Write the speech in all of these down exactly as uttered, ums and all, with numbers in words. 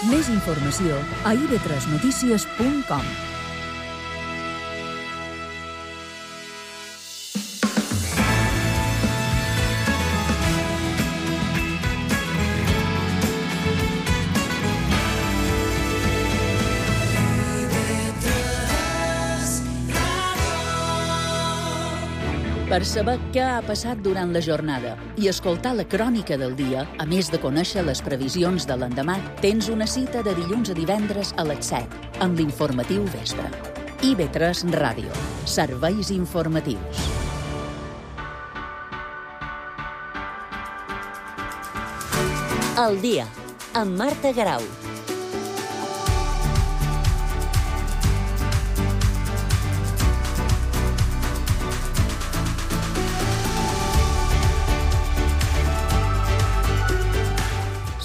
Més informació a i ve tres notícies punt com. Per saber què ha passat durant la jornada i escoltar la crònica del dia, a més de conèixer les previsions de l'endemà, tens una cita de dilluns a divendres a les set, amb l'informatiu vespre. i ve tres Ràdio. Serveis informatius. El dia, amb Marta Garau.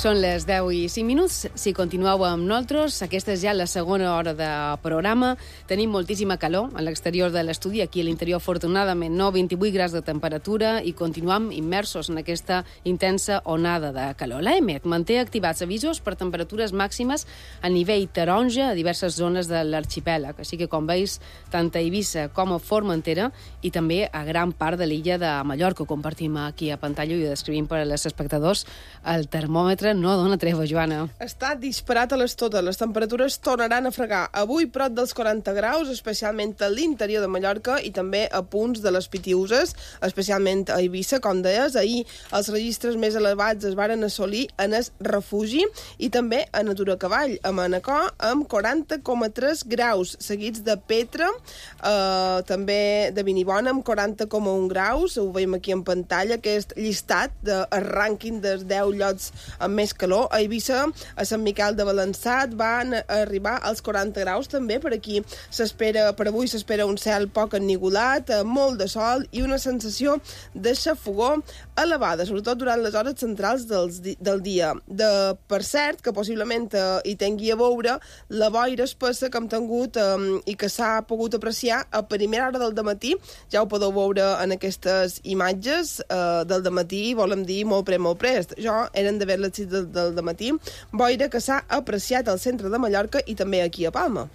Són les deu i cinc minuts. Si continueu amb nosaltres, aquesta és ja la segona hora de programa. Tenim moltíssima calor a l'exterior de l'estudi. Aquí a l'interior, afortunadament, no, vint-i-vuit graus de temperatura i continuem immersos en aquesta intensa onada de calor. L'A E M E T manté activats avisos per temperatures màximes a nivell taronja a diverses zones de l'arxipèlag. Així que, com veus, tant a Eivissa com a Formentera i també a gran part de l'illa de Mallorca. Compartim aquí a pantalla i ho descrivim per als espectadors. El termòmetre no dona treva, Joana. Està disparat a les totes. Les temperatures tornaran a fregar. Avui prop dels quaranta graus, especialment a l'interior de Mallorca i també a punts de les Pitiüses, especialment a Eivissa, com deies. Ahir els registres més elevats es varen assolir en el refugi i també a Natura Cavall, a Manacor, amb quaranta coma tres graus, seguits de Petra, eh, també de Vinibona, amb quaranta coma un graus. Ho veiem aquí en pantalla, aquest llistat del rànquing dels deu llocs amb més calor. A Eivissa, a Sant Miquel de Balançat, van arribar als quaranta graus també. Per aquí s'espera, per avui s'espera un cel poc ennigolat, molt de sol i una sensació de xafogor elevada, sobretot durant les hores centrals dels, del dia. De, per cert, que possiblement eh, hi tingui a veure la boira espessa que hem tingut eh, i que s'ha pogut apreciar a primera hora del dematí. Ja ho podeu veure en aquestes imatges eh, del dematí, volem dir molt pre, molt prest. Jo eren de veure les sis del, del dematí, boira que s'ha apreciat al centre de Mallorca i també aquí a Palma.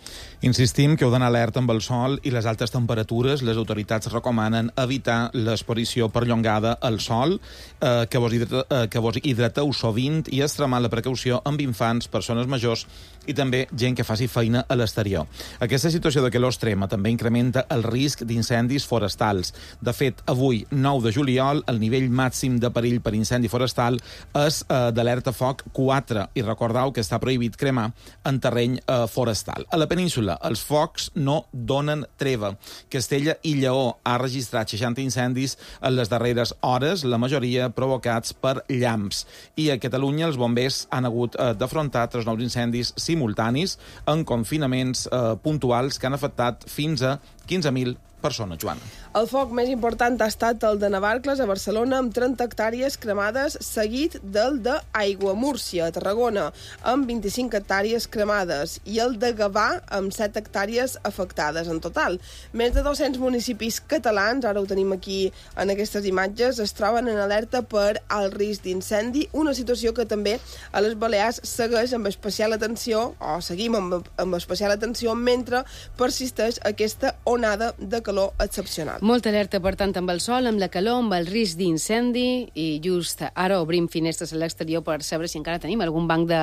Insistim que heu d'anar alerta amb el sol i les altes temperatures. Les autoritats recomanen evitar l'exposició perllongada al sol, eh, que, vos hidrata, eh, que vos hidrateu sovint i extremar la precaució amb infants, persones majors i també gent que faci feina a l'exterior. Aquesta situació de calor extrema també incrementa el risc d'incendis forestals. De fet, avui, nou de juliol, el nivell màxim de perill per incendi forestal és eh, d'alerta foc quatre, i recordeu que està prohibit cremar en terreny eh, forestal. A la península, els focs no donen treva. Castella i Lleó ha registrat seixanta incendis en les darreres hores, la majoria provocats per llamps. I a Catalunya els bombers han hagut eh, d'afrontar tres nous incendis simultanis en confinaments eh, puntuals que han afectat fins a quinze mil persones, Joana. El foc més important ha estat el de Navarcles, a Barcelona, amb trenta hectàrees cremades, seguit del de Aiguamúrcia, a Tarragona, amb vint-i-cinc hectàrees cremades, i el de Gavà, amb set hectàrees afectades en total. Més de dos-cents municipis catalans, ara ho tenim aquí en aquestes imatges, es troben en alerta per alt risc d'incendi, una situació que també a les Balears segueix amb especial atenció, o seguim amb, amb especial atenció, mentre persisteix aquesta onada de calor excepcional. Molta alerta, per tant, amb el sol, amb la calor, amb el risc d'incendi, i just ara obrim finestres a l'exterior per saber si encara tenim algun banc de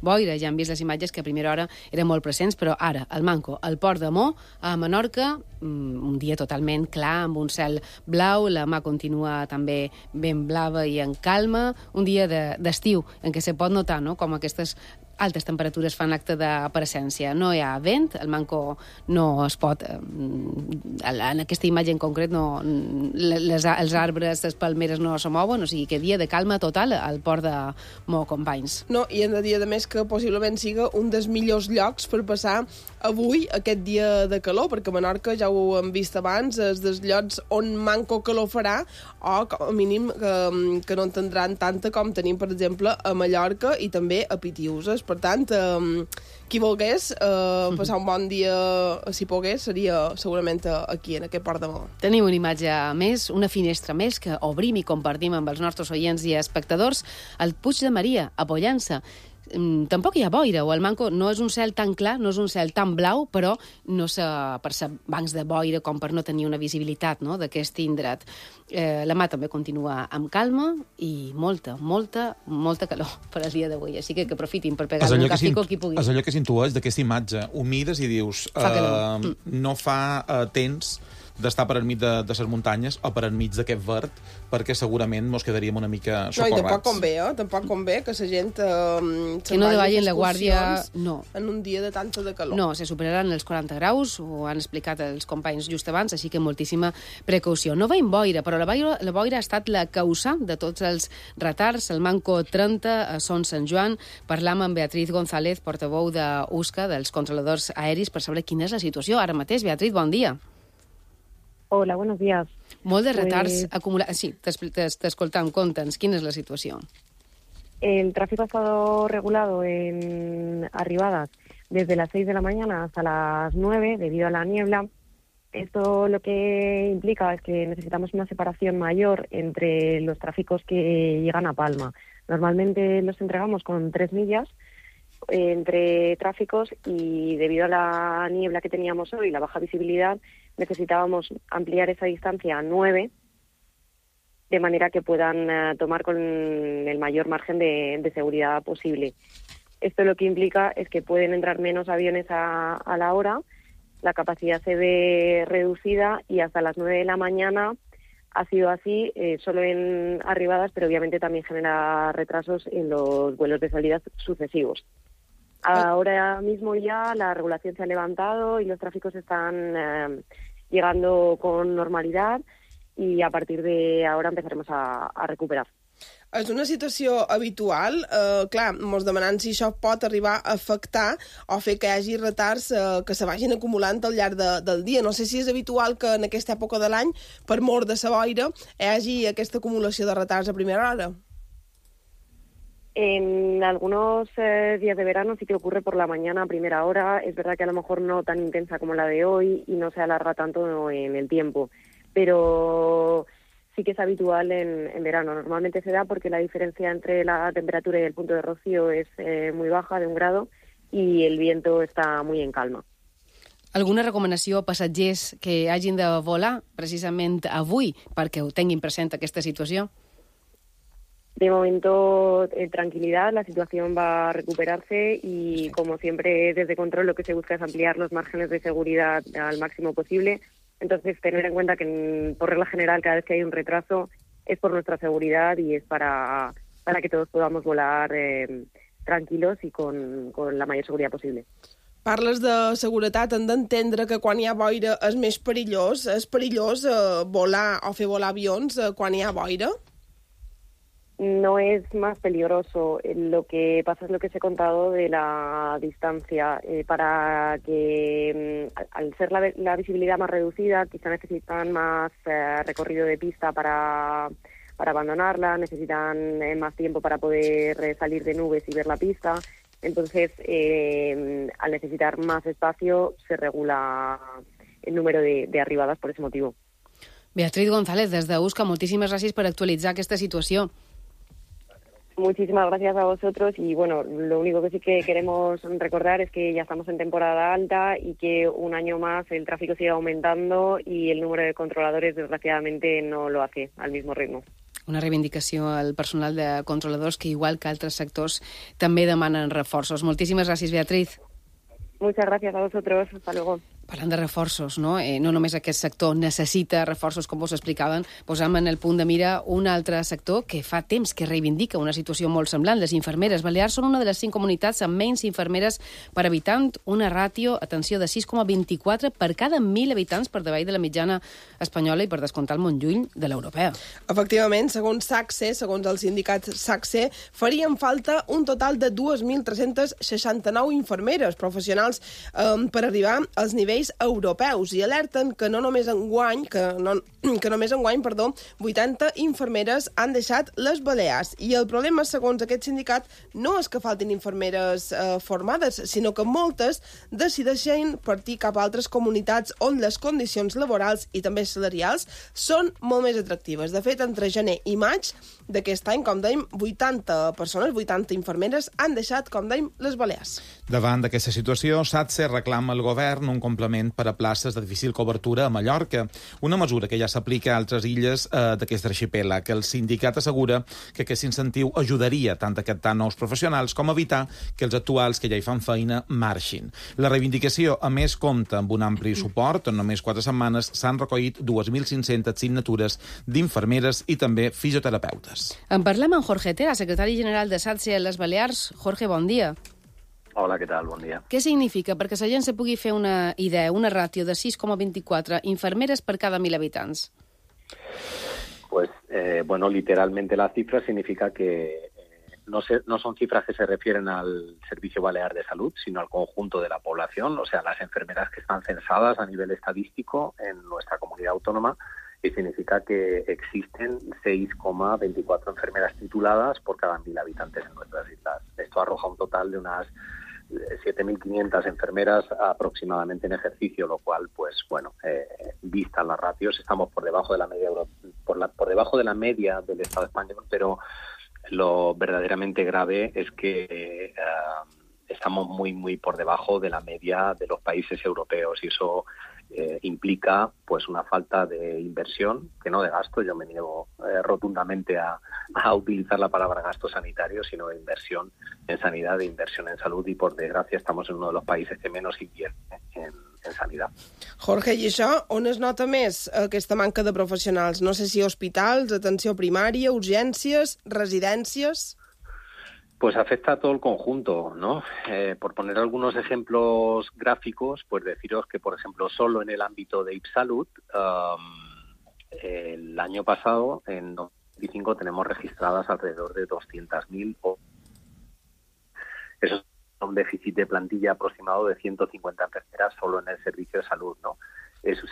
boira. Ja hem vist les imatges que a primera hora eren molt presents, però ara, al Manco, al Port de Mó, a Menorca, un dia totalment clar, amb un cel blau, la mà continua també ben blava i en calma, un dia d'estiu de, en què se pot notar, no?, com aquestes altes temperatures fan acte de presència. No hi ha vent, el Manco no es pot... En aquesta imatge en concret, no, les, els arbres, les palmeres no se mouen, o sigui que dia de calma total al Port de Mó, companys. No, i hem de dir, a més, que possiblement siga un dels millors llocs per passar avui aquest dia de calor, perquè a Menorca, ja ho hem vist abans, és dels llocs on manco calor farà, o com a mínim que, que no en tindran tanta com tenim, per exemple, a Mallorca i també a Pitiüses. Per tant, eh, qui volgués eh, passar un bon dia, si pogués, seria segurament aquí, en aquest Port de Mó. Tenim una imatge més, una finestra més, que obrim i compartim amb els nostres oients i espectadors, el Puig de Maria, a Pollença. tampoc hi ha boira, o el Manco no és un cel tan clar, no és un cel tan blau, però no se percep bancs de boira com per no tenir una visibilitat, no?, d'aquest indret. Eh, la mà també continua amb calma i molta, molta, molta calor per al dia d'avui. Així que que aprofitin per pegar un castico qui pugui. És allò que s'intueix d'aquesta imatge. Ho mires i dius, fa uh, mm. no fa uh, temps d'estar per enmig de, de les muntanyes o per enmig d'aquest verd, perquè segurament mos quedaríem una mica socorrats. No, i tampoc convé, eh? Tampoc convé que la gent eh, que no davallin la guàrdia, no. En un dia de tanta de calor. No, se superaran els quaranta graus, ho han explicat els companys just abans, així que moltíssima precaució. No veiem boira, però la boira, la boira ha estat la causa de tots els retards. El Manco trenta a Son Sant Joan. Parlam amb Beatriz González, portaveu d'U S C A, dels controladors aeris, per saber quina és la situació. Ara mateix, Beatriz, bon dia. Hola, buenos días. Molt de retards pues... acumulats. Sí, t'escoltam, conta'ns, quina és la situació? El tráfico ha estado regulado en arribadas desde las seis de la mañana hasta las nueve debido a la niebla. Esto lo que implica es que necesitamos una separación mayor entre los tráficos que llegan a Palma. Normalmente los entregamos con tres millas entre tráficos y debido a la niebla que teníamos hoy, la baja visibilidad, necesitábamos ampliar esa distancia a nueve, de manera que puedan uh, tomar con el mayor margen de, de seguridad posible. Esto lo que implica es que pueden entrar menos aviones a, a la hora, la capacidad se ve reducida y hasta las nueve de la mañana ha sido así, eh, solo en arribadas, pero obviamente también genera retrasos en los vuelos de salida sucesivos. Ahora mismo ya la regulación se ha levantado y los tráficos están eh, llegando con normalidad i a partir de ara empezaremos a, a recuperar. És una situació habitual. Eh, clar, mos demanant si això pot arribar a afectar o fer que hi hagi retards eh, que se vagin acumulant al llarg de, del dia. No sé si és habitual que en aquesta època de l'any, per mor de la boira, hi hagi aquesta acumulació de retards a primera hora. En algunos eh, días de verano sí que ocurre por la mañana a primera hora. Es verdad que a lo mejor no tan intensa como la de hoy y no se alarga tanto en el tiempo, pero sí que es habitual en, en verano. Normalmente se da porque la diferencia entre la temperatura y el punto de rocío es eh, muy baja, de un grado, y el viento está muy en calma. Alguna recomanació a passatgers que hagin de volar precisament avui perquè ho tinguin present aquesta situació? De momento, eh, tranquilidad, la situación va a recuperarse y, como siempre, desde control lo que se busca es ampliar los márgenes de seguridad al máximo posible. Entonces, tener en cuenta que, por regla general, cada vez que hay un retraso es por nuestra seguridad y es para, para que todos podamos volar eh, tranquilos y con, con la mayor seguridad posible. Parles de seguretat, hem d'entendre que quan hi ha boira és més perillós. És perillós eh, volar o fer volar avions eh, quan hi ha boira? No es más peligroso. Lo que pasa es lo que os he contado de la distancia. Eh, para que, al ser la, la visibilidad más reducida, quizá necesitan más eh, recorrido de pista para, para abandonarla, necesitan eh, más tiempo para poder eh, salir de nubes y ver la pista. Entonces, eh, al necesitar más espacio, se regula el número de, de arribadas por ese motivo. Beatriz González, des de U S C A, moltíssimes gràcies per actualitzar aquesta situació. Muchísimas gracias a vosotros y bueno, lo único que sí que queremos recordar es que ya estamos en temporada alta y que un año más el tráfico sigue aumentando y el número de controladores desgraciadamente no lo hace al mismo ritmo. Una reivindicació al personal de controladors que, igual que altres sectors, també demanen reforços. Moltíssimes gràcies, Beatriz. Muchas gracias a vosotros. Hasta luego. Parlant de reforços, no? Eh, no només aquest sector necessita reforços, com vos explicaven, posam en el punt de mira un altre sector que fa temps que reivindica una situació molt semblant. Les infermeres balears són una de les cinc comunitats amb menys infermeres per habitant, una ràtio, atenció, de sis coma vint-i-quatre per cada mil habitants, per davall de la mitjana espanyola i per descomptar molt lluny de l'europea. Efectivament, segons SACSE, segons el sindicat SACSE, farien falta un total de dos mil tres-cents seixanta-nou infermeres professionals eh, per arribar als nivells serveis europeus i alerten que no només enguany, que no, que només enguany, perdó, vuitanta infermeres han deixat les Balears. I el problema, segons aquest sindicat, no és que faltin infermeres eh, formades, sinó que moltes decideixen partir cap a altres comunitats on les condicions laborals i també salarials són molt més atractives. De fet, entre gener i maig d'aquest any, com dèiem, vuitanta persones, vuitanta infermeres, han deixat, com dèiem, les Balears. Davant d'aquesta situació, SATSE reclama al govern un complement per a places de difícil cobertura a Mallorca, una mesura que ja s'aplica a altres illes eh, d'aquest arxipèlag. El sindicat assegura que aquest incentiu ajudaria tant a captar nous professionals com a evitar que els actuals que ja hi fan feina marxin. La reivindicació, a més, compta amb un ampli suport. En només quatre setmanes s'han recollit dos mil cinc-centes signatures d'infermeres i també fisioterapeutes. En parlem amb Jorge Tera, secretari general de SATSE a les Balears. Jorge, bon dia. Hola, què tal? Bon dia. Què significa? Perquè la gent se pugui fer una idea, una ràtio de sis coma vint-i-quatre infermeres per cada mil habitants. Pues, eh, bueno, literalmente la cifra significa que eh, no, se, no son cifras que se refieren al Servicio Balear de Salud, sino al conjunto de la población, o sea, las enfermeras que están censadas a nivel estadístico en nuestra comunidad autónoma, y significa que existen seis coma veinticuatro enfermeras tituladas por cada mil habitantes en nuestras islas. Esto arroja un total de unas siete mil quinientas enfermeras aproximadamente en ejercicio, lo cual, pues bueno, eh, vistas las ratios, estamos por debajo de la media euro, por, la, por debajo de la media del Estado español, pero lo verdaderamente grave es que eh, estamos muy, muy por debajo de la media de los países europeos y eso eh, implica pues una falta de inversión, que no de gasto, yo me niego eh, rotundamente a, a utilizar la palabra gasto sanitario, sino de inversión en sanidad, de inversión en salud y por desgracia estamos en uno de los países que menos invierte en, en sanidad. Jorge, i això on es nota més aquesta manca de professionals? No sé si hospitals, atenció primària, urgències, residències... Pues afecta a todo el conjunto, ¿no? Eh, por poner algunos ejemplos gráficos, pues deciros que, por ejemplo, solo en el ámbito de IPSalud, um, el año pasado, en dos mil veinticinco, tenemos registradas alrededor de doscientas mil. Eso es un déficit de plantilla aproximado de ciento cincuenta enfermeras solo en el servicio de salud, ¿no? Eso,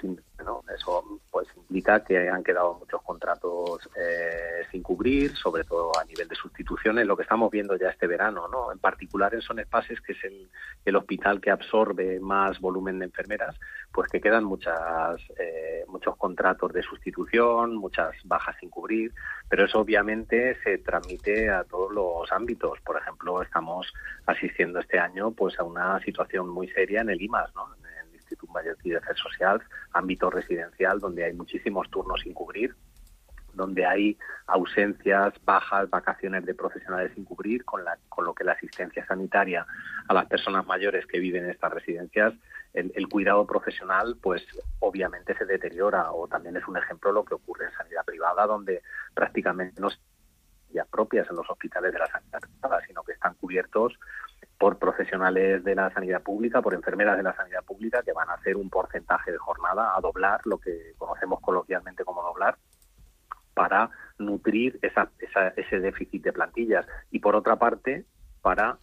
¿no? Eso pues implica que han quedado muchos contratos eh, sin cubrir, sobre todo a nivel de sustituciones, lo que estamos viendo ya este verano, ¿no? En particular en Son Espases, que es el, el hospital que absorbe más volumen de enfermeras, pues que quedan muchas eh, muchos contratos de sustitución, muchas bajas sin cubrir, pero eso obviamente se transmite a todos los ámbitos. Por ejemplo, estamos asistiendo este año pues a una situación muy seria en el I M A S, ¿no? Institut Mallorquí de Afers Socials, ámbito residencial, donde hay muchísimos turnos sin cubrir, donde hay ausencias, bajas, vacaciones de profesionales sin cubrir, con, la, con lo que la asistencia sanitaria a las personas mayores que viven en estas residencias, el, el cuidado profesional, pues obviamente se deteriora, o también es un ejemplo lo que ocurre en sanidad privada, donde prácticamente no ya propias en los hospitales de la sanidad privada, sino que están cubiertos por profesionales de la sanidad pública, por enfermeras de la sanidad pública, que van a hacer un porcentaje de jornada a doblar, lo que conocemos coloquialmente como doblar, para nutrir esa, esa, ese déficit de plantillas. Y por otra parte, para,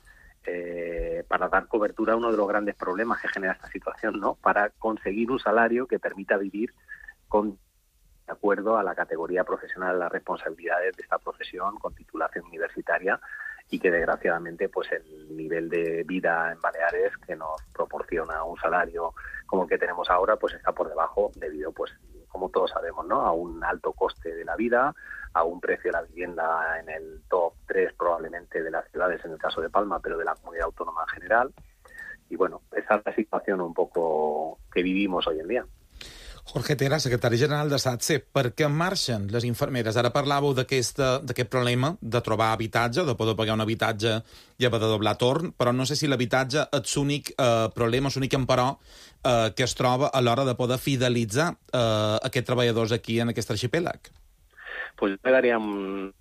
eh, para dar cobertura a uno de los grandes problemas que genera esta situación, ¿no? Para conseguir un salario que permita vivir con de acuerdo a la categoría profesional, las responsabilidades de esta profesión, con titulación universitaria, y que desgraciadamente pues el nivel de vida en Baleares que nos proporciona un salario como el que tenemos ahora pues está por debajo debido, pues como todos sabemos, ¿no? A un alto coste de la vida, a un precio de la vivienda en el top tres probablemente de las ciudades, en el caso de Palma, pero de la comunidad autónoma en general. Y bueno, esa es la situación un poco que vivimos hoy en día. Jorge Tera, secretari general de SATSE, per què marxen les infermeres? Ara parlàveu d'aquest problema de trobar habitatge, de poder pagar un habitatge i haver de doblar torn, però no sé si l'habitatge és l'únic eh, problema, l'únic emperò eh, que es troba a l'hora de poder fidelitzar eh, aquests treballadors aquí en aquest arxipèlag. Pues me daría un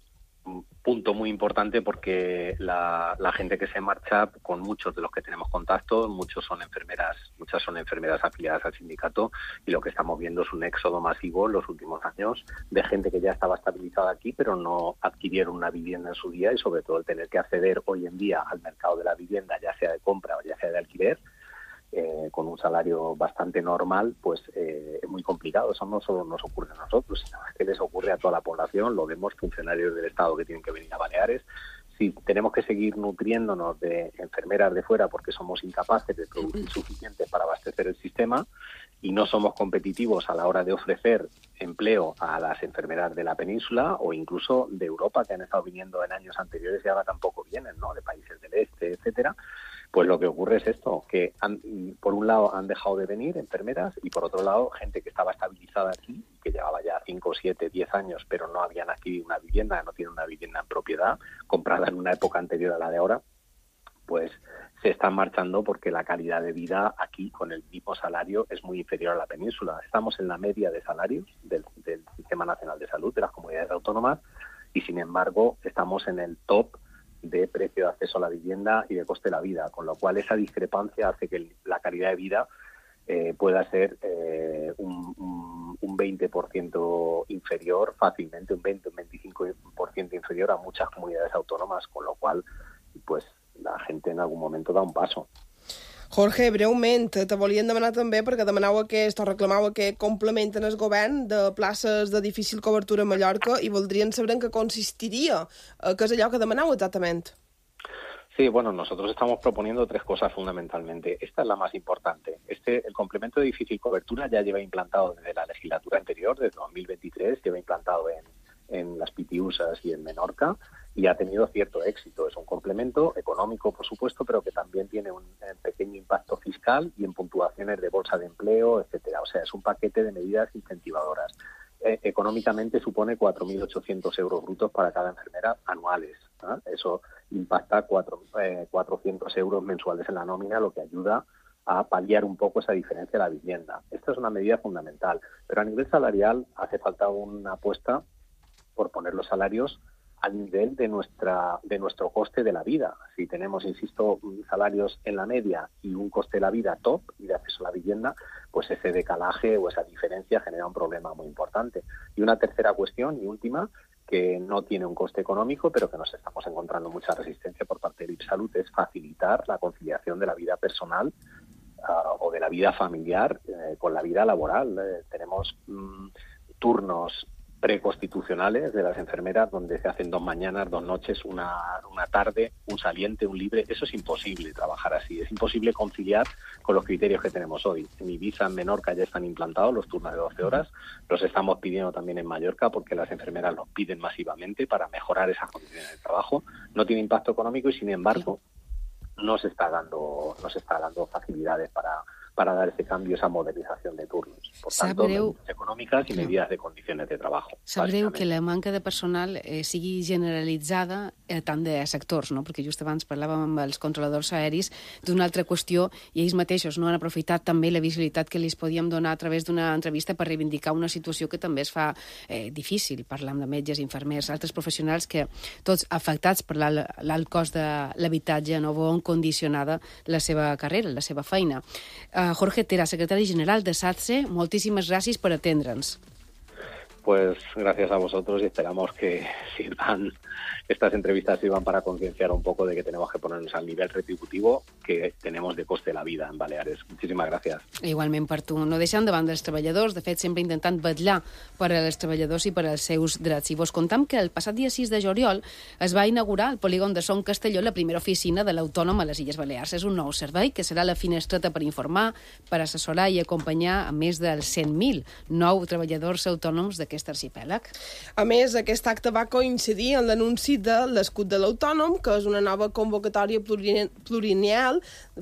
punto muy importante porque la, la gente que se marcha, con muchos de los que tenemos contacto, muchos son enfermeras, muchas son enfermeras afiliadas al sindicato, y lo que estamos viendo es un éxodo masivo en los últimos años de gente que ya estaba estabilizada aquí, pero no adquirieron una vivienda en su día, y sobre todo el tener que acceder hoy en día al mercado de la vivienda, ya sea de compra o ya sea de alquiler, eh, con un salario bastante normal, pues eh, es muy complicado. Eso no solo nos ocurre a nosotros, sino que les ocurre a toda la población. Lo vemos funcionarios del Estado que tienen que venir a Baleares. Si tenemos que seguir nutriéndonos de enfermeras de fuera porque somos incapaces de producir suficientes para abastecer el sistema y no somos competitivos a la hora de ofrecer empleo a las enfermeras de la península o incluso de Europa, que han estado viniendo en años anteriores y ahora tampoco vienen, ¿no?, de países del este, etcétera, pues lo que ocurre es esto, que han, por un lado han dejado de venir enfermeras y por otro lado gente que estaba estabilizada aquí, que llevaba ya cinco, siete, diez años, pero no habían adquirido una vivienda, no tienen una vivienda en propiedad, comprada en una época anterior a la de ahora, pues se están marchando porque la calidad de vida aquí con el mismo salario es muy inferior a la península. Estamos en la media de salarios del, del Sistema Nacional de Salud, de las comunidades autónomas, y sin embargo estamos en el top de precio de acceso a la vivienda y de coste de la vida, con lo cual esa discrepancia hace que la calidad de vida eh, pueda ser eh, un, un, un veinte por ciento inferior fácilmente, un veinte, un veinticinco por ciento inferior a muchas comunidades autónomas, con lo cual pues la gente en algun moment da un passo. Jorge, breument, te volien demanar també, perquè demanau aquest, o reclamau aquest complement en el govern de places de difícil cobertura a Mallorca i voldrien saber en què consistiria, què és allò que demanau exactament. Sí, bueno, nosotros estamos proponiendo tres cosas fundamentalmente. Esta es la más importante. Este, el complemento de difícil cobertura ya lleva implantado desde la legislatura anterior, desde dos mil veintitrés, lleva implantado en, en las Pitiusas y en Menorca, y ha tenido cierto éxito. Es un complemento económico, por supuesto, pero que también tiene un, un pequeño impacto fiscal y en puntuaciones de bolsa de empleo, etcétera. O sea, es un paquete de medidas incentivadoras. Eh, económicamente supone cuatro mil ochocientos euros brutos para cada enfermera anuales, ¿no? Eso impacta cuatro, eh, cuatrocientos euros mensuales en la nómina, lo que ayuda a paliar un poco esa diferencia de la vivienda. Esta es una medida fundamental, pero a nivel salarial hace falta una apuesta por poner los salarios al nivel de nuestra de nuestro coste de la vida. Si tenemos, insisto, salarios en la media y un coste de la vida top y de acceso a la vivienda, pues ese decalaje o esa diferencia genera un problema muy importante. Y una tercera cuestión y última, que no tiene un coste económico, pero que nos estamos encontrando mucha resistencia por parte de IPSalud, es facilitar la conciliación de la vida personal uh, o de la vida familiar eh, con la vida laboral. Eh, tenemos mm, turnos preconstitucionales de las enfermeras donde se hacen dos mañanas, dos noches, una, una tarde, un saliente, un libre. Eso es imposible trabajar así, es imposible conciliar con los criterios que tenemos hoy. En Ibiza, en Menorca ya están implantados los turnos de doce horas, los estamos pidiendo también en Mallorca porque las enfermeras los piden masivamente para mejorar esas condiciones de trabajo. No tiene impacto económico y sin embargo no se está dando, no se está dando facilidades para para dar ese cambio, esa modernización de turnos. Por tanto, Sabreu... medidas econòmiques i medidas de condiciones de trabajo. Sap greu que la manca de personal eh, sigui generalitzada a tant de sectors, no? Perquè just abans parlàvem amb els controladors aeris d'una altra qüestió i ells mateixos no han aprofitat també la visibilitat que li podíem donar a través d'una entrevista per reivindicar una situació que també es fa eh, difícil. Parlam de metges, infermers, altres professionals que tots afectats per l'alt cost de l'habitatge no veuen condicionada la seva carrera, la seva feina. Eh, Jorge Tera, secretari general de SATSE, moltíssimes gràcies per atendre'ns. Pues gracias a vosotros y esperamos que sirvan, estas entrevistas sirvan para concienciar un poco de que tenemos que ponernos al nivel retributivo que tenemos de coste de la vida en Baleares. Muchísimas gracias. Igualment per tu. No deixant davant dels treballadors, de fet sempre intentant vetllar per als treballadors i per als seus drets. I vos contam que el passat dia sis de juliol es va inaugurar al polígon de Son Castelló la primera oficina de l'Autònom a les Illes Balears. És un nou servei que serà la finestreta per informar, per assessorar i acompanyar a més dels cent mil nou treballadors autònoms d'aquest arxipèlag. A més, aquest acte va coincidir en l'anunci de l'escut de l'Autònom, que és una nova convocatòria pluriennal,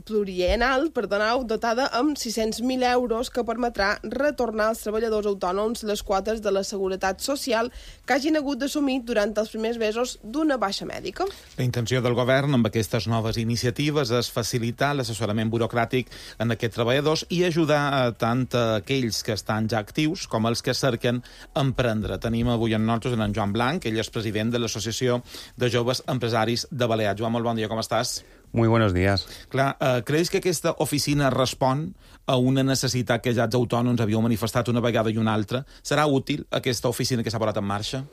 pluriennal perdoneu, dotada amb sis-cents mil euros que permetrà retornar als treballadors autònoms les quotes de la Seguretat Social que hagin hagut d'assumir durant els primers mesos d'una baixa mèdica. La intenció del govern amb aquestes noves iniciatives és facilitar l'assessorament burocràtic en aquests treballadors i ajudar a tant a aquells que estan ja actius com els que cerquen emprendre. Tenim avui en nosaltres en Joan Blanc, ell és president de l'Associació de Joves Empresaris de Balears. Joan, molt bon dia, com estàs? Muy buenos días. Clar, eh, creus que aquesta oficina respon a una necessitat que ja els autònoms havíeu manifestat una vegada i una altra? Serà útil aquesta oficina que s'ha posat en marxa?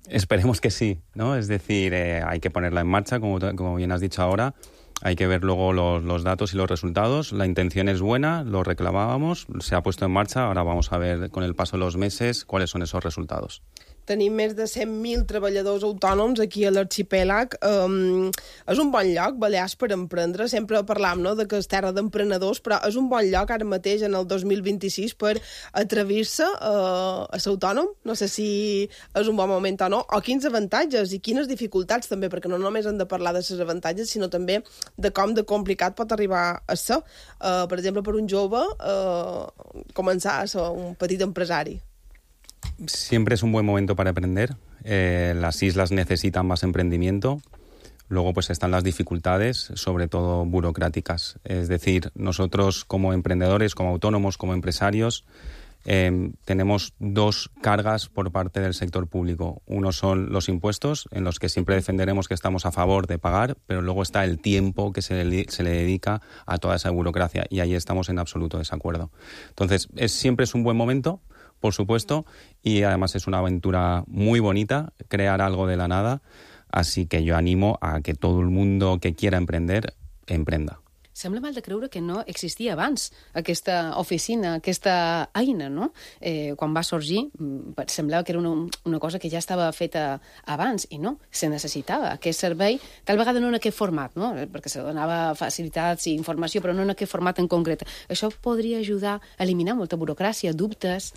Esperemos que sí, ¿no? Es decir, eh, hay que ponerla en marcha, como, como bien has dicho ahora. Hay que ver luego los, los datos y los resultados. La intención es buena, lo reclamábamos, se ha puesto en marcha. Ahora vamos a ver con el paso de los meses cuáles son esos resultados. Tenim més de cent mil treballadors autònoms aquí a l'arxipèlag. Um, és un bon lloc, Balears, per emprendre. Sempre parlam, no?, de que és terra d'emprenedors, però és un bon lloc ara mateix, en el dos mil vint-i-sis, per atrevir-se uh, a ser autònom. No sé si és un bon moment o no. O quins avantatges i quines dificultats també, perquè no només hem de parlar de les avantatges, sinó també de com de complicat pot arribar a ser. Uh, per exemple, per un jove, uh, començar a ser un petit empresari. Siempre es un buen momento para emprender. Eh, las islas necesitan más emprendimiento. Luego pues están las dificultades, sobre todo burocráticas. Es decir, nosotros como emprendedores, como autónomos, como empresarios, eh, tenemos dos cargas por parte del sector público. Uno son los impuestos, en los que siempre defenderemos que estamos a favor de pagar, pero luego está el tiempo que se le, se le dedica a toda esa burocracia, y ahí estamos en absoluto desacuerdo. Entonces, es, siempre es un buen momento, por supuesto, y además es una aventura muy bonita, crear algo de la nada, así que yo animo a que todo el mundo que quiera emprender, emprenda. Sembla mal de creure que no existia abans aquesta oficina, aquesta eina, no? Eh, quan va sorgir, semblava que era una, una cosa que ja estava feta abans, i no, se necessitava aquest servei, tal vegada no en aquest format, no? Perquè se donava facilitats i informació, però no en aquest format en concret. Això podria ajudar a eliminar molta burocràcia, dubtes,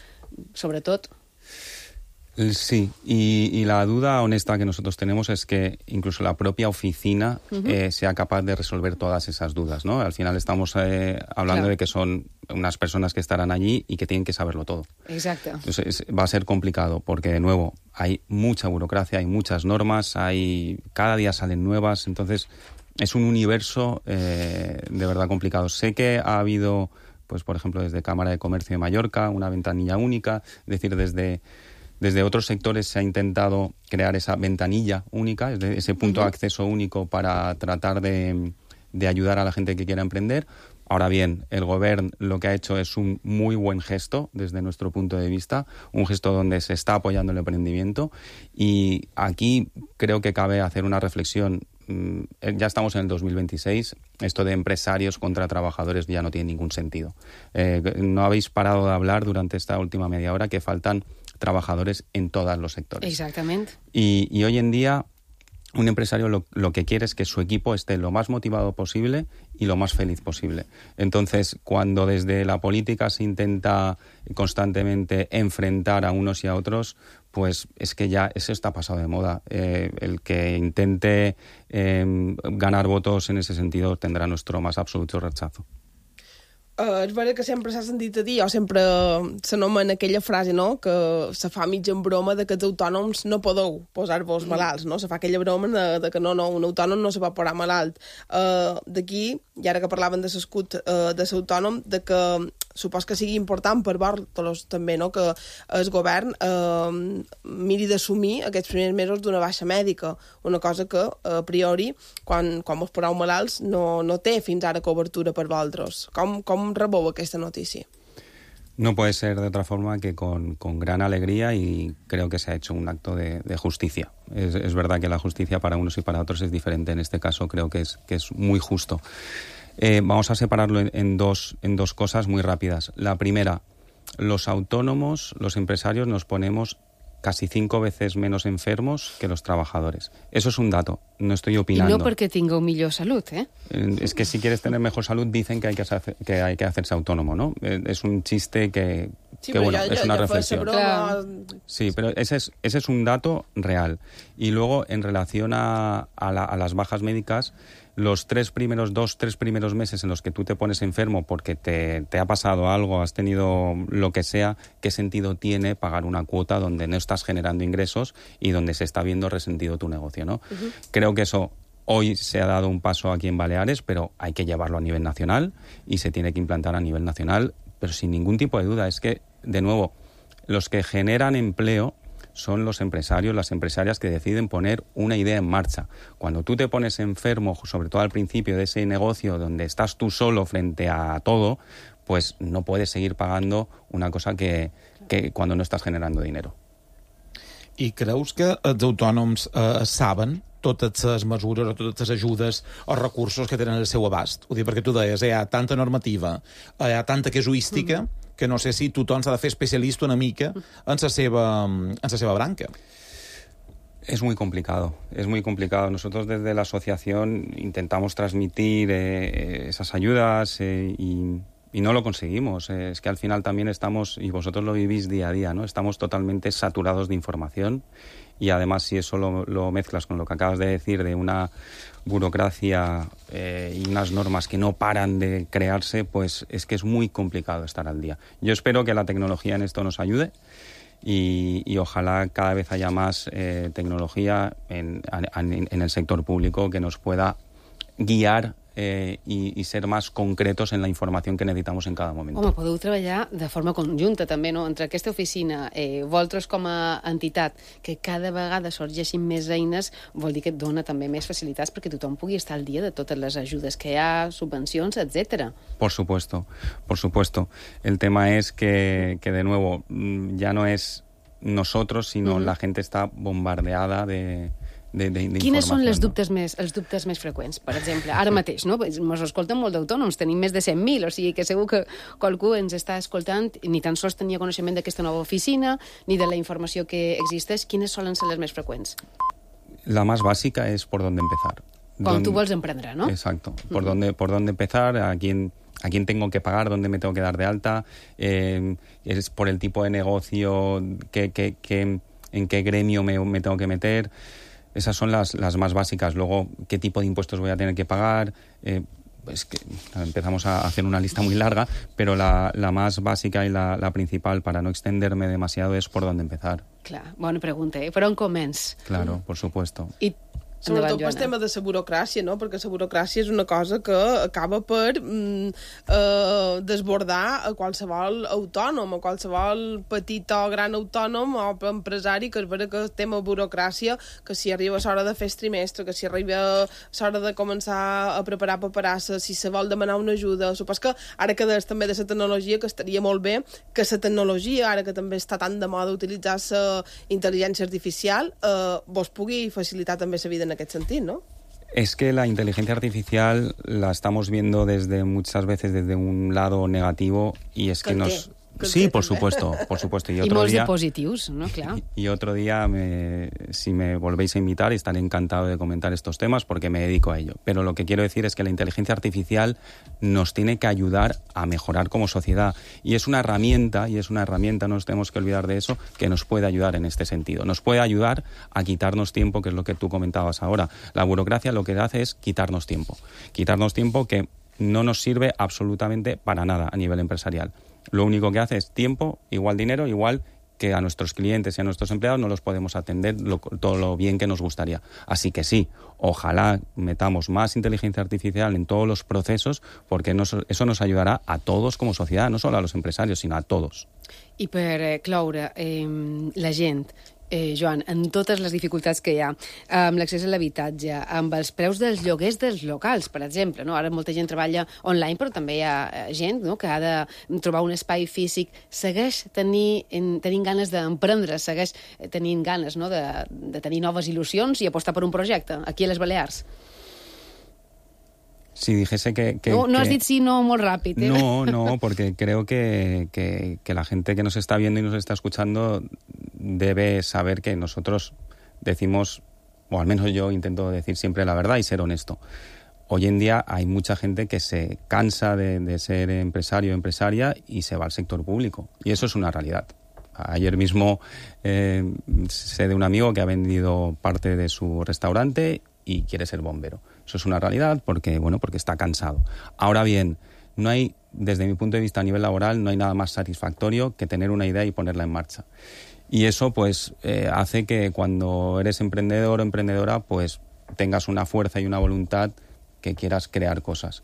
sobretot. Sí, y, y la duda honesta que nosotros tenemos es que incluso la propia oficina uh-huh. eh, sea capaz de resolver todas esas dudas, ¿no? Al final estamos eh, hablando claro. de que son unas personas que estarán allí y que tienen que saberlo todo. Exacto. Entonces es, va a ser complicado porque, de nuevo, hay mucha burocracia, hay muchas normas, hay cada día salen nuevas, entonces es un universo eh, de verdad complicado. Sé que ha habido, pues por ejemplo, desde Cámara de Comercio de Mallorca, una ventanilla única, es decir, desde... Desde otros sectores se ha intentado crear esa ventanilla única, ese punto de acceso único para tratar de, de ayudar a la gente que quiera emprender. Ahora bien, el Gobierno lo que ha hecho es un muy buen gesto desde nuestro punto de vista, un gesto donde se está apoyando el emprendimiento, y aquí creo que cabe hacer una reflexión. Ya estamos en el dos mil veintiséis, esto de empresarios contra trabajadores ya no tiene ningún sentido. Eh, no habéis parado de hablar durante esta última media hora que faltan trabajadores en todos los sectores. Exactamente. Y, y hoy en día un empresario lo, lo que quiere es que su equipo esté lo más motivado posible y lo más feliz posible. Entonces, cuando desde la política se intenta constantemente enfrentar a unos y a otros, pues es que ya eso está pasado de moda. Eh, el que intente eh, ganar votos en ese sentido tendrá nuestro más absoluto rechazo. Uh, és vera que sempre s'ha sentit a dir, o sempre s'anomena aquella frase, no?, que se fa mig en broma de que els autònoms no podeu posar-vos malalts, no? Se fa aquella broma de, de que no, no, un autònom no se pot posar malalt. Uh, D'aquí, i ara que parlaven de l'escut uh, de l'autònom, de que supos que sigui important per vosaltres també, no?, que el govern uh, miri d'assumir aquests primers mesos d'una baixa mèdica, una cosa que a priori, quan, quan vos poseu malalts, no, no té fins ara cobertura per vosaltres. Com, com rebeu aquesta notícia? No puede ser de otra forma que con, con gran alegría, y creo que se ha hecho un acto de, de justicia. Es, es verdad que la justicia para unos y para otros es diferente. En este caso creo que es, que es muy justo. Eh, vamos a separarlo en, en, dos, en dos cosas muy rápidas. La primera, los autónomos, los empresarios, nos ponemos casi cinco veces menos enfermos que los trabajadores. Eso es un dato, no estoy opinando. Y no porque tenga millor salud, ¿eh? Es que si quieres tener mejor salud dicen que hay que, hacer, que, hay que hacerse autónomo, ¿no? Es un chiste que, sí, que bueno, ya, es ya, una ya reflexión. Claro. Sí, pero ese es, ese es un dato real. Y luego, en relación a, a, la, a las bajas médicas, los tres primeros, dos, tres primeros meses en los que tú te pones enfermo porque te, te ha pasado algo, has tenido lo que sea, ¿qué sentido tiene pagar una cuota donde no estás generando ingresos y donde se está viendo resentido tu negocio, ¿no? Uh-huh. Creo que eso hoy se ha dado un paso aquí en Baleares, pero hay que llevarlo a nivel nacional y se tiene que implantar a nivel nacional, pero sin ningún tipo de duda. Es que, de nuevo, los que generan empleo son los empresarios, las empresarias que deciden poner una idea en marcha. Cuando tú te pones enfermo, sobre todo al principio de ese negocio donde estás tú solo frente a todo, pues no puedes seguir pagando una cosa que, que cuando no estás generando dinero. I creus que els autònoms eh, saben totes les mesures o totes les ajudes o recursos que tenen al seu abast. Ho dic perquè tu deies, hi ha tanta normativa, hi ha tanta casuística, mm. que no sé si tothom s'ha de fer especialista una mica en la seva, en la seva branca. Es muy complicado, es muy complicado. Nosotros desde la asociación intentamos transmitir eh, esas ayudas eh, y, y no lo conseguimos. Eh, es que al final también estamos, y vosotros lo vivís día a día, ¿no? Estamos totalmente saturados de información y además si eso lo, lo mezclas con lo que acabas de decir de una burocracia eh, y unas normas que no paran de crearse, pues es que es muy complicado estar al día. Yo espero que la tecnología en esto nos ayude. Y, y ojalá cada vez haya más eh, tecnología en, en, en el sector público que nos pueda guiar eh, i, i ser més concretos en la informació que necessitamos en cada moment. Home, podeu treballar de forma conjunta també, no? Entre aquesta oficina, eh, vosaltres com a entitat, que cada vegada sorgeixin més eines, vol dir que et dona també més facilitats perquè tothom pugui estar al dia de totes les ajudes que hi ha, subvencions, etcètera. Por supuesto, por supuesto. El tema es que, que de nuevo, ya no es nosotros, sino uh-huh. la gente está bombardeada de... De, de, de Quines són les no? dubtes més, els dubtes més freqüents? Per exemple, ara mateix, no? Ens escolten molt d'autònoms, tenim més de cent mil, o sigui que segur que qualcú ens està escoltant ni tan sols tenia coneixement d'aquesta nova oficina, ni de la informació que existeix. Quines solen ser les més freqüents? La más básica es por dónde empezar. Quan Don... tu vols emprendre, ¿no? Exacto. Por, uh-huh. dónde, por dónde empezar, a quién... a quién tengo que pagar, dónde me tengo que dar de alta, eh, es por el tipo de negocio, que, que, que, en qué gremio me, me tengo que meter. Esas son las, las más básicas. Luego, ¿qué tipo de impuestos voy a tener que pagar? Eh, pues que empezamos a hacer una lista muy larga, pero la, la más básica y la, la principal, para no extenderme demasiado, es por dónde empezar. Clar, bona pregunta, eh? Per on començ? Claro, por supuesto. I sobretot pel tema de la burocràcia, no? Perquè la burocràcia és una cosa que acaba per mm, eh, desbordar a qualsevol autònom, a qualsevol petit o gran autònom o empresari, que és vera que el tema burocràcia, que si arriba a l'hora de fer el trimestre, que si arriba a l'hora de començar a preparar paperassa, si se vol demanar una ajuda. Supos que ara que des també de la tecnologia, que estaria molt bé que la tecnologia, ara que també està tan de moda utilitzar la intel·ligència artificial, eh, vos pugui facilitar també la vida en aquest sentit, ¿no? Es que la inteligencia artificial la estamos viendo desde muchas veces desde un lado negativo y es que nos... Sí, por supuesto, por supuesto. Y, y otro molts día, de positius, ¿no? Claro. Y, y otro día, me, si me volvéis a invitar, estaré encantado de comentar estos temas porque me dedico a ello. Pero lo que quiero decir es que la inteligencia artificial nos tiene que ayudar a mejorar como sociedad. Y es una herramienta, y es una herramienta, no nos tenemos que olvidar de eso, que nos puede ayudar en este sentido. Nos puede ayudar a quitarnos tiempo, que es lo que tú comentabas ahora. La burocracia lo que hace es quitarnos tiempo. Quitarnos tiempo que no nos sirve absolutamente para nada a nivel empresarial. Lo único que hace es tiempo, igual dinero, igual que a nuestros clientes y a nuestros empleados no los podemos atender lo, todo lo bien que nos gustaría. Así que sí, ojalá metamos más inteligencia artificial en todos los procesos porque nos, eso nos ayudará a todos como sociedad, no solo a los empresarios, sino a todos. I per eh, cloure, eh, la gent, eh, Joan, en totes les dificultats que hi ha, amb l'accés a l'habitatge, amb els preus dels lloguers dels locals, per exemple, no? Ara molta gent treballa online, però també hi ha gent, no?, que ha de trobar un espai físic, segueix tenir, en, tenint ganes d'emprendre, segueix tenint ganes, no?, de, de tenir noves il·lusions i apostar per un projecte, aquí a les Balears. Si dijese que... que no, no has que... dit sí, no, molt ràpid. ¿eh? No, no, porque creo que, que, que la gente que nos está viendo y nos está escuchando debe saber que nosotros decimos, o al menos yo intento decir siempre la verdad y ser honesto. Hoy en día hay mucha gente que se cansa de, de ser empresario o empresaria y se va al sector público. Y eso es una realidad. Ayer mismo eh, sé de un amigo que ha vendido parte de su restaurante y quiere ser bombero. Eso es una realidad porque, bueno, porque está cansado. Ahora bien, no hay, desde mi punto de vista a nivel laboral, no hay nada más satisfactorio que tener una idea y ponerla en marcha. Y eso, pues, eh, hace que cuando eres emprendedor o emprendedora, pues, tengas una fuerza y una voluntad que quieras crear cosas.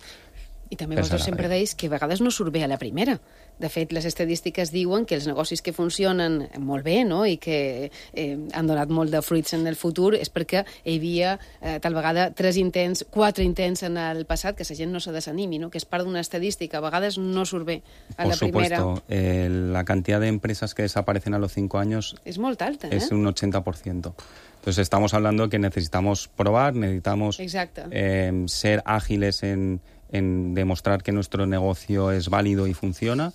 I també vosaltres sempre deis que a vegades no surt bé a la primera. De fet, les estadístiques diuen que els negocis que funcionen molt bé, no?, i que eh, han donat molt de fruits en el futur és perquè hi havia eh, tal vegada tres intents, quatre intents en el passat, que la gent no se desanimi, no?, que és part d'una estadística. A vegades no surt bé a la primera. Por supuesto. Eh, la cantidad de empresas que desaparecen a los cinco años és molt alta, eh? Es un ochenta por ciento. Entonces estamos hablando que necesitamos probar, necesitamos eh, ser ágiles en, en demostrar que nuestro negocio es válido y funciona.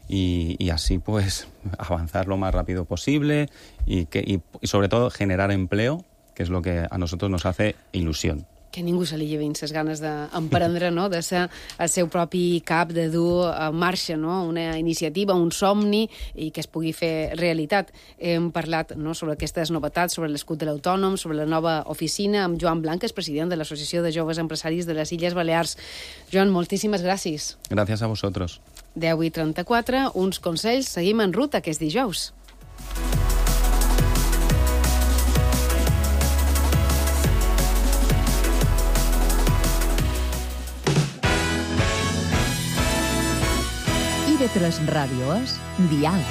Y, y así pues avanzar lo más rápido posible y, que, y, y sobre todo generar empleo, que és el que a nosotros nos hace il·lusió. Que a ningú se li llevin les ganes d'emprendre, no? De ser el seu propi cap, de dur en marxa, no? Una iniciativa, un somni, i que es pugui fer realitat. Hem parlat, no?, sobre aquestes novetats, sobre l'escut de l'autònom, sobre la nova oficina, amb Joan Blanc, que és president de l'Associació de Joves Empresaris de les Illes Balears. Joan, moltíssimes gràcies. Gràcies a vosaltres. deu i trenta-quatre, uns consells. Seguim en ruta, que és dijous. I V tres Ràdio és Dial.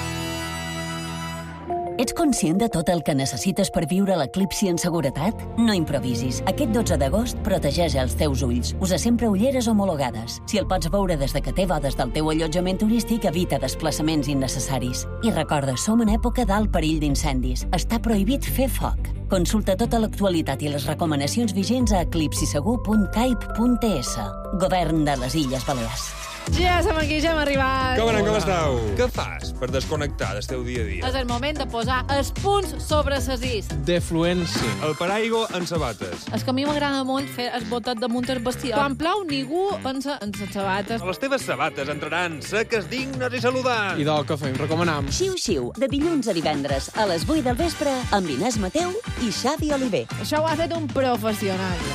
Ets conscient de tot el que necessites per viure l'eclipsi en seguretat? No improvisis. Aquest dotze d'agost protegeix els teus ulls. Usa sempre ulleres homologades. Si el pots veure des de que té bodes del teu allotjament turístic, evita desplaçaments innecessaris. I recorda, som en època d'alt perill d'incendis. Està prohibit fer foc. Consulta tota l'actualitat i les recomanacions vigents a eclipsisegur punt caip punt es. Govern de les Illes Balears. Ja som aquí, ja hem arribat. Com anem, com esteu? Què fas per desconnectar del teu dia a dia? És el moment de posar els punts sobre les is. Defluència. El paraigua en sabates. És que a mi m'agrada molt fer el botet damunt el vestidor. Quan plou, ningú pensa en les sabates. Les teves sabates entraran seques, dignes i saludants. I del que fem, recomanam. Xiu Xiu, de dilluns a divendres, a les vuit del vespre, amb Inés Mateu i Xavi Oliver. Això ho ha fet un professional.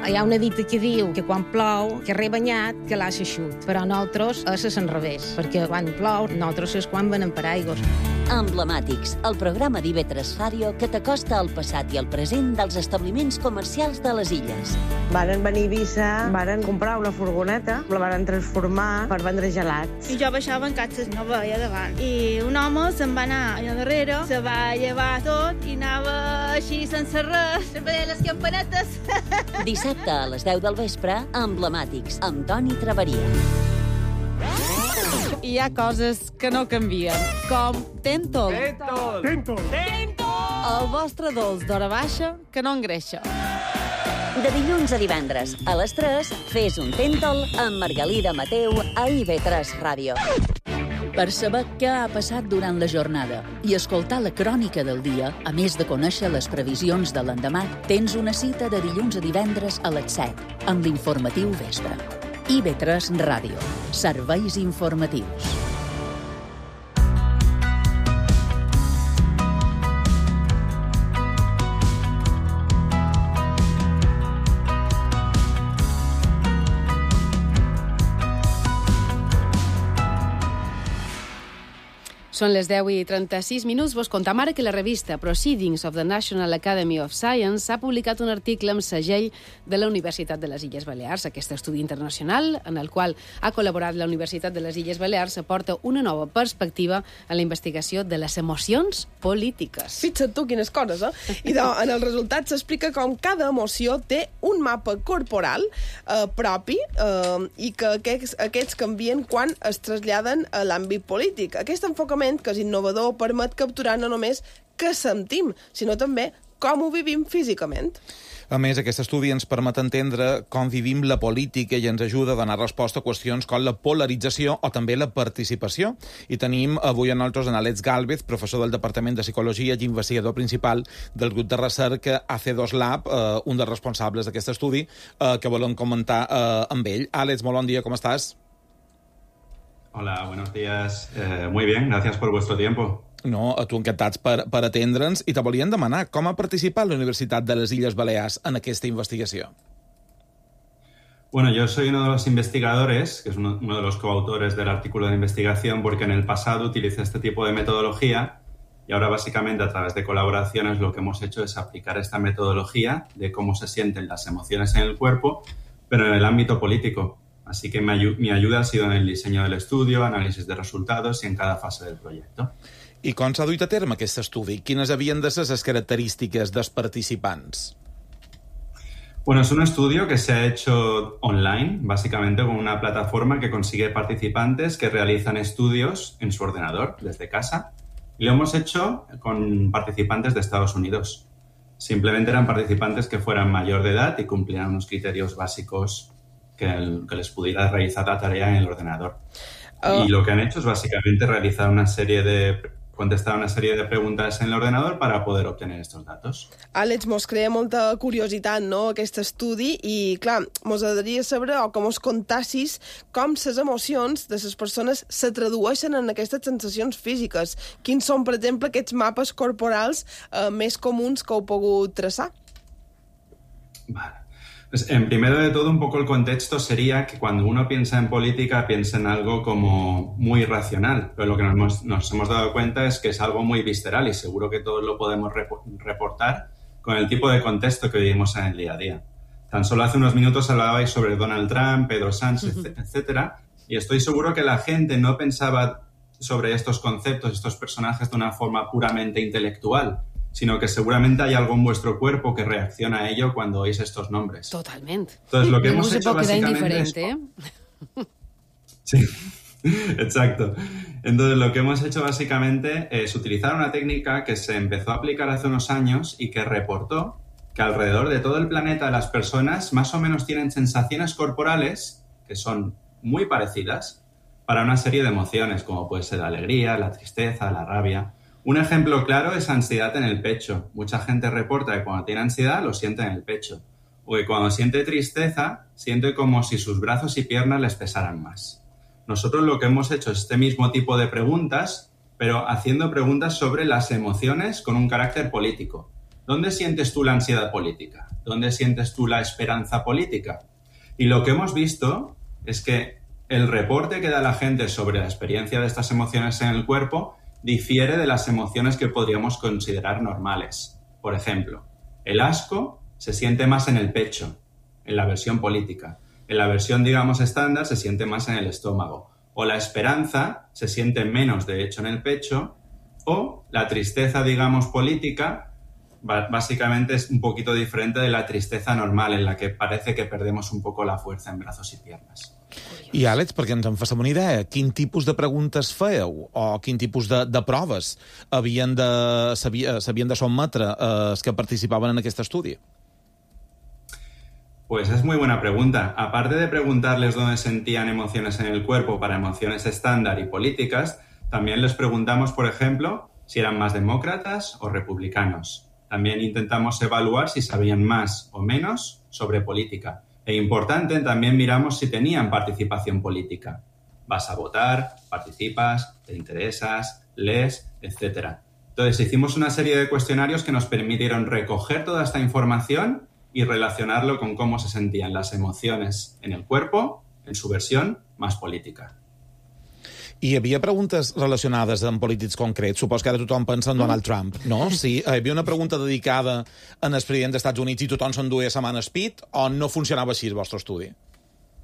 Hi ha una dita que diu que quan plou, que rebanyat, que l'ha eixut. Però nosaltres és a l'enrevés, perquè quan plou, nosaltres és quan venem paraigües. Emblemàtics, el programa d'I V tres Ràdio que t'acosta al passat i al present dels establiments comercials de les illes. Varen venir a Eivissa, varen comprar una furgoneta, la varen transformar per vendre gelats. I jo baixava en catxes, no veia davant. I un home se'n va anar allà darrere, se va llevar tot i anava així sense res, veia les campanetes. Dissabte a les deu del vespre, Emblemàtics, amb Toni Traveria. Hi ha coses que no canvien, com Tentol. Tentol! Tentol! Tentol! El vostre dolç d'hora baixa que no engreixa. De dilluns a divendres, a les tres, fes un Tentol amb Margalida Mateu a I V tres Ràdio. Per saber què ha passat durant la jornada i escoltar la crònica del dia, a més de conèixer les previsions de l'endemà, tens una cita de dilluns a divendres a les set, amb l'informatiu vespre. I V tres Ràdio. Serveis informatius. Són les deu i trenta-sis minuts. Vos contam ara que la revista Proceedings of the National Academy of Science ha publicat un article amb segell de la Universitat de les Illes Balears. Aquest estudi internacional, en el qual ha col·laborat la Universitat de les Illes Balears, aporta una nova perspectiva a la investigació de les emocions polítiques. Fixa't tu quines coses, eh? I de, en el resultat s'explica com cada emoció té un mapa corporal eh, propi eh, i que aquests, aquests canvien quan es traslladen a l'àmbit polític. Aquest enfocament, que és innovador, permet capturar no només què sentim, sinó també com ho vivim físicament. A més, aquest estudi ens permet entendre com vivim la política i ens ajuda a donar resposta a qüestions com la polarització o també la participació. I tenim avui a nosaltres en Àlex Gálvez, professor del Departament de Psicologia i investigador principal del grup de recerca A C dos Lab, eh, un dels responsables d'aquest estudi, eh, que volem comentar eh, amb ell. Àlex, molt bon dia, com estàs? Hola, buenos días. Eh, muy bien, gracias por vuestro tiempo. No, a tu encantats per, per atendre'ns. I te volien demanar com ha participat la Universitat de les Illes Balears en aquesta investigació. Bueno, yo soy uno de los investigadores, que es uno, uno de los coautores del artículo de investigación, porque en el pasado utilicé este tipo de metodología y ahora básicamente a través de colaboraciones lo que hemos hecho es aplicar esta metodología de cómo se sienten las emociones en el cuerpo, pero en el ámbito político. Así que mi, ayu- mi ayuda ha sido en el diseño del estudio, análisis de resultados y en cada fase del proyecto. I com s'ha duit a terme aquest estudi? Quines havien de ser les característiques dels participants? Bueno, es un estudio que se ha hecho online, básicamente con una plataforma que consigue participantes que realizan estudios en su ordenador desde casa. Y lo hemos hecho con participantes de Estados Unidos. Simplemente eran participantes que fueran mayor de edad y cumplieran unos criterios básicos que, el, que les pudiera realizar la tarea en el ordenador. Oh. Y lo que han hecho es básicamente realizar una serie de... contestar una sèrie de preguntes en l'ordenador per a poder obtenir aquests datos. Àlex, mos crea molta curiositat, no?, aquest estudi, i, clar, mos agradaria saber, o que mos contassis, com les emocions de les persones se tradueixen en aquestes sensacions físiques. Quins són, per exemple, aquests mapes corporals eh, més comuns que heu pogut traçar? Vale. Pues, en primero de todo, un poco el contexto sería que cuando uno piensa en política, piensa en algo como muy racional, pero lo que nos hemos, nos hemos dado cuenta es que es algo muy visceral y seguro que todos lo podemos rep- reportar con el tipo de contexto que vivimos en el día a día. Tan solo hace unos minutos hablabais sobre Donald Trump, Pedro Sánchez, uh-huh. etcétera, y estoy seguro que la gente no pensaba sobre estos conceptos, estos personajes de una forma puramente intelectual, sino que seguramente hay algo en vuestro cuerpo que reacciona a ello cuando oís estos nombres. Totalmente. Entonces, lo que no hemos se hecho puede quedar básicamente indiferente, es... ¿eh? Sí, exacto. Entonces, lo que hemos hecho básicamente es utilizar una técnica que se empezó a aplicar hace unos años y que reportó que alrededor de todo el planeta las personas más o menos tienen sensaciones corporales que son muy parecidas para una serie de emociones, como puede ser la alegría, la tristeza, la rabia. Un ejemplo claro es ansiedad en el pecho. Mucha gente reporta que cuando tiene ansiedad lo siente en el pecho. O que cuando siente tristeza, siente como si sus brazos y piernas les pesaran más. Nosotros lo que hemos hecho es este mismo tipo de preguntas, pero haciendo preguntas sobre las emociones con un carácter político. ¿Dónde sientes tú la ansiedad política? ¿Dónde sientes tú la esperanza política? Y lo que hemos visto es que el reporte que da la gente sobre la experiencia de estas emociones en el cuerpo difiere de las emociones que podríamos considerar normales. Por ejemplo, el asco se siente más en el pecho, en la versión política. En la versión, digamos, estándar se siente más en el estómago. O la esperanza se siente menos, de hecho, en el pecho. O la tristeza, digamos, política, básicamente es un poquito diferente de la tristeza normal, en la que parece que perdemos un poco la fuerza en brazos y piernas. I, Àlex, perquè ens en faci una idea, quin tipus de preguntes fèieu o quin tipus de, de proves havien de, s'havien de sotmetre eh, els que participaven en aquest estudi? Pues es muy buena pregunta. Aparte de preguntarles dónde sentían emociones en el cuerpo para emociones estándar y políticas, también les preguntamos, por ejemplo, si eran más demócratas o republicanos. También intentamos evaluar si sabían más o menos sobre política. E importante, también miramos si tenían participación política. Vas a votar, participas, te interesas, lees, etcétera. Entonces, hicimos una serie de cuestionarios que nos permitieron recoger toda esta información y relacionarlo con cómo se sentían las emociones en el cuerpo, en su versión más política. Hi havia preguntes relacionades amb polítics concrets. Supos que ara tothom pensa en Donald Trump, no? Sí, hi havia una pregunta dedicada al president dels Estats Units i tothom s'enduia la mano speed, o no funcionava així el vostre estudi?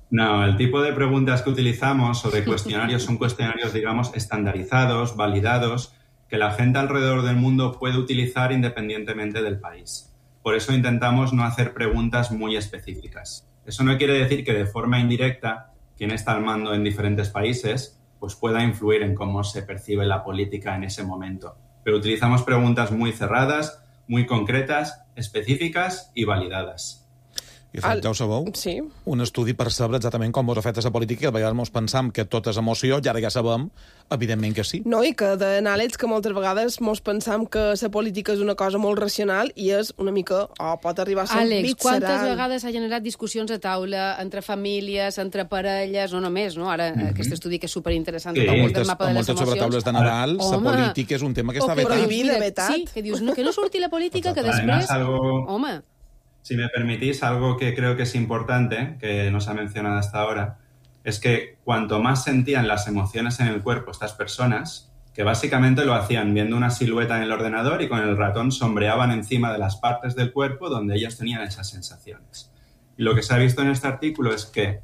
No, el tipo de preguntas que utilizamos o de cuestionarios son cuestionarios, digamos, estandarizados, validados, que la gente alrededor del mundo puede utilizar independientemente del país. Por eso intentamos no hacer preguntas muy específicas. Eso no quiere decir que de forma indirecta quien está al mando en diferentes países pues pueda influir en cómo se percibe la política en ese momento. Pero utilizamos preguntas muy cerradas, muy concretas, específicas y validadas. I fet, ja ho sabeu? Sí. Un estudi per saber exactament com vos afecta la política, que a vegades mos pensam que tot és emoció, i ara ja sabem, evidentment que sí. No, i que deien, Àlex, que moltes vegades mos pensam que la política és una cosa molt racional i és una mica, o oh, pot arribar a ser Àlex, visceral. quantes vegades ha generat discussions a taula entre famílies, entre parelles, no només, no? Ara, mm-hmm. aquest estudi que és superinteressant, sí, el moltes, mapa de les emocions. Moltes sobretaules de Nadal, la política és un tema que està vetat. Prohibida, vetat. Sí, que dius, no, que no surti la política, que després... Además, algo... Home... Si me permitís, algo que creo que es importante, que no se ha mencionado hasta ahora, es que cuanto más sentían las emociones en el cuerpo estas personas, que básicamente lo hacían viendo una silueta en el ordenador y con el ratón sombreaban encima de las partes del cuerpo donde ellos tenían esas sensaciones. Y lo que se ha visto en este artículo es que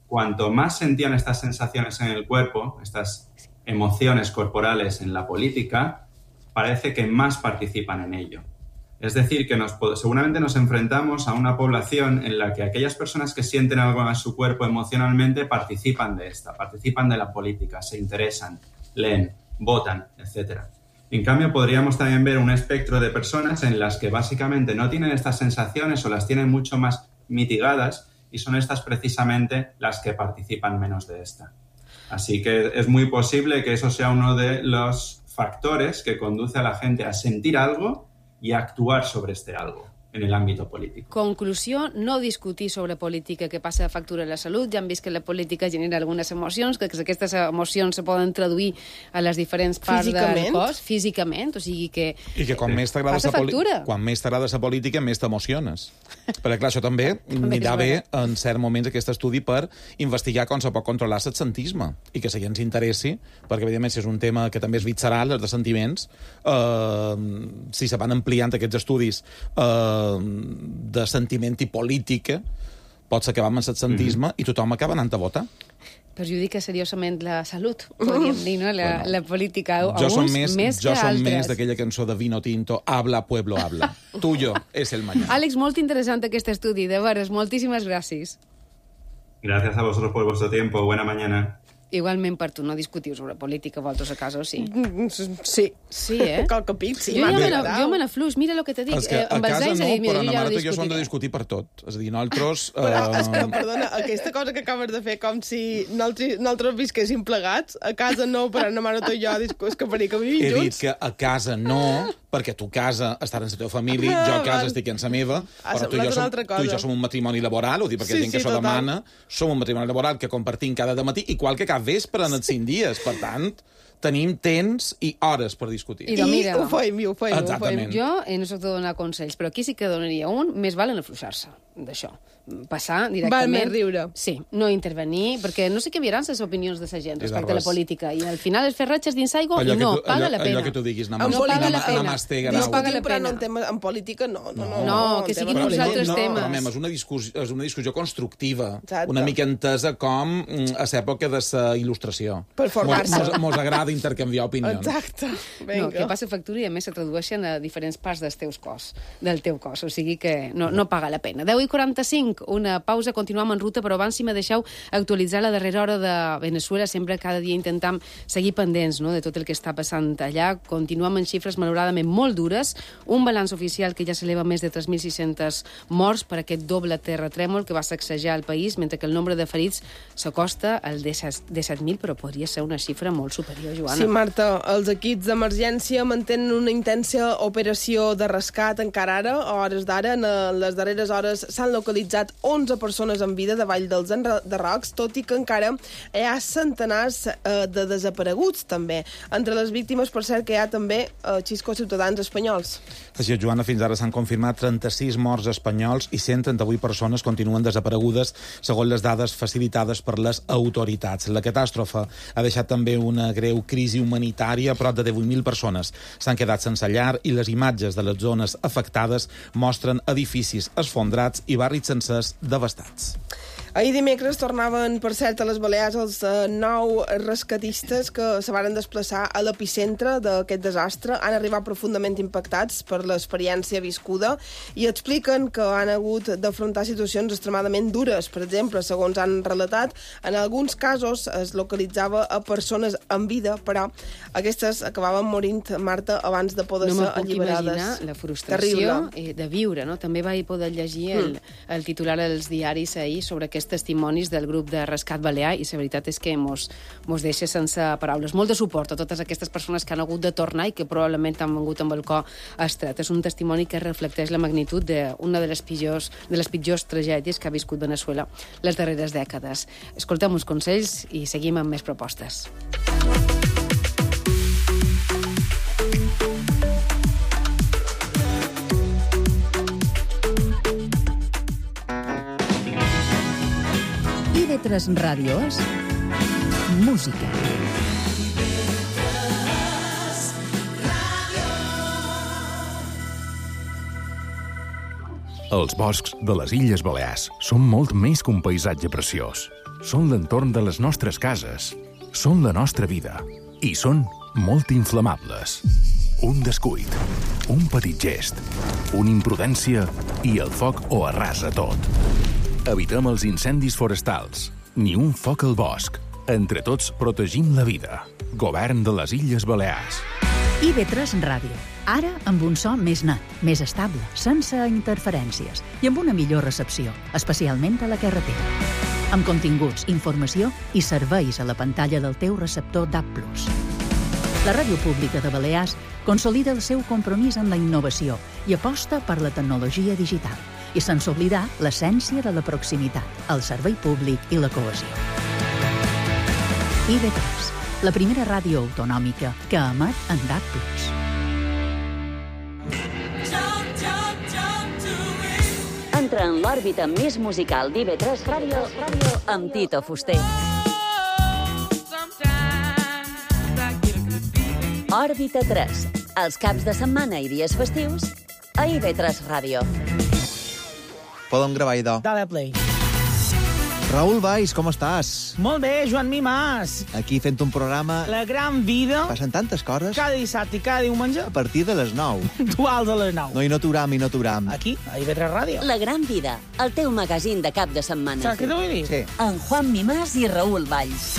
cuanto más sentían estas sensaciones en el cuerpo, estas emociones corporales en la política, parece que más participan en ello. Es decir, que nos, seguramente nos enfrentamos a una población en la que aquellas personas que sienten algo en su cuerpo emocionalmente participan de esta, participan de la política, se interesan, leen, votan, etcétera. En cambio, podríamos también ver un espectro de personas en las que básicamente no tienen estas sensaciones o las tienen mucho más mitigadas y son estas precisamente las que participan menos de esta. Así que es muy posible que eso sea uno de los factores que conduce a la gente a sentir algo y a actuar sobre este algo en el ámbito político. Conclusió, no discutir sobre política que passa factura a la salut. Ja hem vist que la política genera algunes emocions, que aquestes emocions se poden traduir a les diferents parts físicament. del cos, físicament, o sigui que... I que quan més t'agrada passa sa poli- factura. quan més t'agrada la política, més t'emociones. Perquè, clar, això també anirà bé en certs moments aquest estudi per investigar com se pot controlar l'absentisme i que si ens interessi, perquè, evidentment, si és un tema que també és visceral, els de sentiments, eh, si se van ampliant aquests estudis eh, de sentiment i política, pot ser que va amb l'absentisme mm-hmm. i tothom acaba anant a votar. Perjudica seriosament la salut, podríem dir, no? La, bueno, la política a jo uns més, més jo que som altres. més d'aquella cançó de Vino Tinto, Habla, pueblo, habla. Tuyo es el mañana. Àlex, molt interessant aquest estudi, de veres, moltíssimes gràcies. Gracias a vosotros por vuestro tiempo. Buena mañana. Igualment per tu, no discutiu sobre política, vosaltres a casa, o sí? Sí. Sí, eh? Qualque pic, sí. Jo, ja me jo me la flux, mira el que te dic. És que eh, a amb els casa anys no, he dit, mira, però jo na ja mare no tu i jo som de discutiré. discutir per tot. És a dir, nosaltres... Però, és que, Eh, perdona, aquesta cosa que acabes de fer, com si nosaltres, nosaltres visquéssim plegats, a casa no, però na mare tu i jo discus que faria que vivim he dit junts. que a casa no, perquè tu casa estar en la teva família, jo a casa estic en la meva, Ha però tu i, semblat jo una som, altra cosa. tu i jo som un matrimoni laboral, ho dic perquè Sí, sí, gent que sí, s'ho total. demana, som un matrimoni laboral que compartim cada matí, igual que cap vespre en els cinc dies. Per tant, tenim temps i hores per discutir. I, mira, ho feim, i ho feim, ho Exactament. feim. Jo eh, no soc de donar consells, però aquí sí que donaria un, més val en afluixar-se d'això. Passar directament... Val més riure. Sí, no intervenir, perquè no sé què viran les opinions de la gent I respecte a la d'arròs. política. I al final es fer ratxes dins aigua Allò i que no, tu- paga allò- la pena. allò que tu diguis, En namastè, no paga la nam- pena. namastè, No grau. paga la Discutim, però no pena. en, tema, en política no. No, no, No, que en siguin tema uns polític. altres no, temes. Però, mem, és una discussió, és una discussió constructiva, Exacte. una mica entesa com mm, a l'època de la il·lustració. Per formar-se. Mos, mos agrada intercanviar opinions. Exacte. Vinga. No, que passa factura i a més se tradueixen a diferents parts dels teus cos, del teu cos, o sigui que no, no paga la pena. deu i quaranta-cinc, una pausa, continuem en ruta, però abans si me deixeu actualitzar la darrera hora de Venezuela, sempre cada dia intentam seguir pendents, no?, de tot el que està passant allà. Continuem en xifres malauradament molt dures, un balanç oficial que ja s'eleva més de tres mil sis-cents morts per aquest doble terratrèmol que va sacsejar el país, mentre que el nombre de ferits s'acosta al disset mil, però podria ser una xifra molt superior, Joana. Sí, Marta, els equips d'emergència mantenen una intensa operació de rescat encara ara, a hores d'ara. En les darreres hores s'han localitzat onze persones en vida davall dels enderrocs, tot i que encara hi ha centenars eh, de desapareguts, també. Entre les víctimes, per cert, que hi ha també eh, xiscos ciutadans espanyols. Així és, Joana, fins ara s'han confirmat trenta-sis morts espanyols i cent trenta-vuit persones continuen desaparegudes, segons les dades facilitades per les autoritats. La catàstrofe ha deixat també una greu crisi humanitària. Prop de divuit mil persones s'han quedat sense llar i les imatges de les zones afectades mostren edificis esfondrats i barris sencers devastats. Ahir dimecres tornaven, per cert, a les Balears els eh, nou rescatistes que se varen desplaçar a l'epicentre d'aquest desastre. Han arribat profundament impactats per l'experiència viscuda i expliquen que han hagut d'afrontar situacions extremadament dures. Per exemple, segons han relatat, en alguns casos es localitzava a persones en vida, però aquestes acabaven morint, Marta, abans de poder no ser puc alliberades. imaginar la frustració eh, de viure, no? També vaig poder llegir el, Mm. el titular als diaris ahir sobre aquests testimonis del grup de rescat balear i la veritat és que mos, mos deixa sense paraules. Molt de suport a totes aquestes persones que han hagut de tornar i que probablement han vengut amb el cor estret. És un testimoni que reflecteix la magnitud d'una de les pitjors, de les pitjors tragèdies que ha viscut Venezuela les darreres dècades. Escoltem uns consells i seguim amb més propostes. I de tres ràdios, música. Els boscs de les Illes Balears són molt més que un paisatge preciós. Són l'entorn de les nostres cases, són la nostra vida i són molt inflamables. Un descuit, un petit gest, una imprudència i el foc ho arrasa tot. Evitem els incendis forestals, ni un foc al bosc. Entre tots protegim la vida. Govern de les Illes Balears. I V tres Ràdio. Ara amb un so més net, més estable, sense interferències i amb una millor recepció, especialment a la carretera. Amb continguts, informació i serveis a la pantalla del teu receptor D A B plus. La Ràdio Pública de Balears consolida el seu compromís amb la innovació i aposta per la tecnologia digital, i sense oblidar l'essència de la proximitat, el servei públic i la cohesió. I V tres, la primera ràdio autonòmica que emet en D A B plus. Entra en l'òrbita més musical d'I V tres Ràdio amb Tito Fuster. Òrbita tres, els caps de setmana i dies festius a I V tres Ràdio. Podem gravar, idò. Dale play. Raül Valls, com estàs? Molt bé, Joan Mimàs. Aquí fent un programa... La gran vida. Passen tantes coses. Cada dissabte i cada diumenge. A partir de les nou. Duals a les nou. No, i no t'uram, i no t'uram. Aquí, a I V tres Ràdio. La gran vida, el teu magazín de cap de setmana. Saps què t'ho vull dir? Sí. En Juan Mimàs i Raül Valls.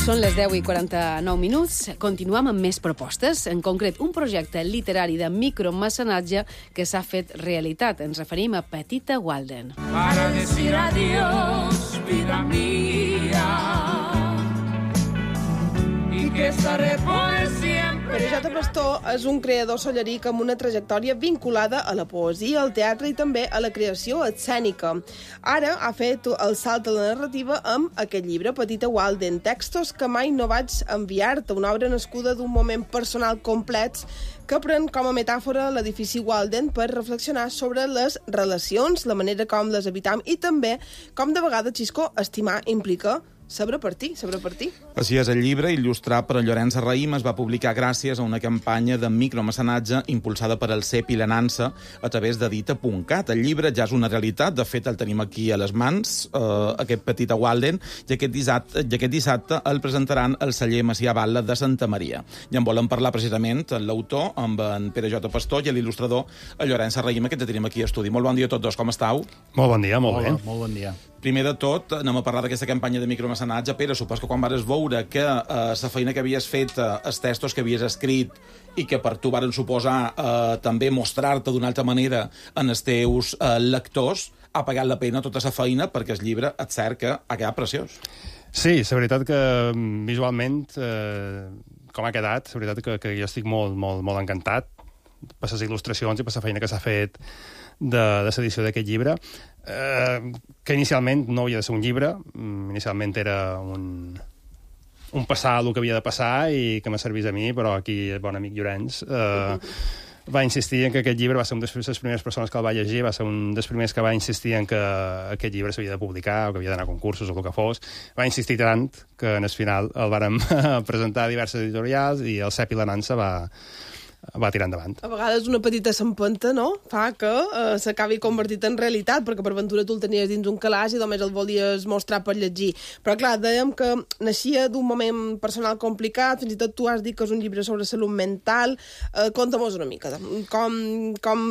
Són les deu i quaranta-nou minuts. Continuem amb més propostes, en concret un projecte literari de micromecenatge que s'ha fet realitat. Ens referim a Petita Walden. Para decir adiós, vida mía, y que estaré por siempre. Pere J. Pastor és un creador solleric amb una trajectòria vinculada a la poesia, al teatre i també a la creació escènica. Ara ha fet el salt a la narrativa amb aquest llibre, Petita Walden, textos que mai no vaig enviar-te, una obra nascuda d'un moment personal complex que pren com a metàfora l'edifici Walden per reflexionar sobre les relacions, la manera com les habitam i també com de vegades, Xisco, estimar implica saber partir, saber partir. Així és, el llibre, il·lustrat per Llorenç Raïm, es va publicar gràcies a una campanya de micromecenatge impulsada per el C E P i la Nansa a través d'Edita punt cat. El llibre ja és una realitat, de fet el tenim aquí a les mans, eh, aquest Petita Walden, i aquest, dissabte, i aquest dissabte el presentaran al celler Macià Batlle de Santa Maria. I en volen parlar precisament l'autor, amb en Pere J. Pastor, i l'il·lustrador, el Llorenç Raïm, que tenim aquí a estudi. Molt bon dia a tots dos, com estàu? Molt bon dia, molt bé. Molt bon dia. Primer de tot, anem a parlar d'aquesta campanya de micromecenatge. Pere, supos que quan vas veure que eh, la feina que havies fet, eh, els textos que havies escrit i que per tu varen suposar eh, també mostrar-te d'una altra manera en els teus eh, lectors, ha pagat la pena tota la feina perquè el llibre, et cert que ha quedat preciós. Sí, la veritat que visualment, eh, com ha quedat, la veritat que, que jo estic molt, molt, molt encantat per les il·lustracions i per la feina que s'ha fet de, de l'edició d'aquest llibre, eh, que inicialment no havia de ser un llibre, inicialment era un, un passar el que havia de passar i que me servís a mi, però aquí el bon amic Llorenç eh, va insistir en que aquest llibre va ser una de les primeres persones que el va llegir, va ser un dels primers que va insistir en que aquest llibre s'havia de publicar o que havia d'anar a concursos o el que fos. Va insistir tant que en el final el vàrem presentar a diverses editorials i el C E P i la Nansa va va tirar endavant. A vegades una petita s'empenta, no?, fa que eh, s'acabi convertit en realitat, perquè per ventura tu el tenies dins un calaix i només el volies mostrar per llegir. Però clar, dèiem que naixia d'un moment personal complicat, fins i tot tu has dit que és un llibre sobre salut mental. Eh, Conta-mos una mica, com, com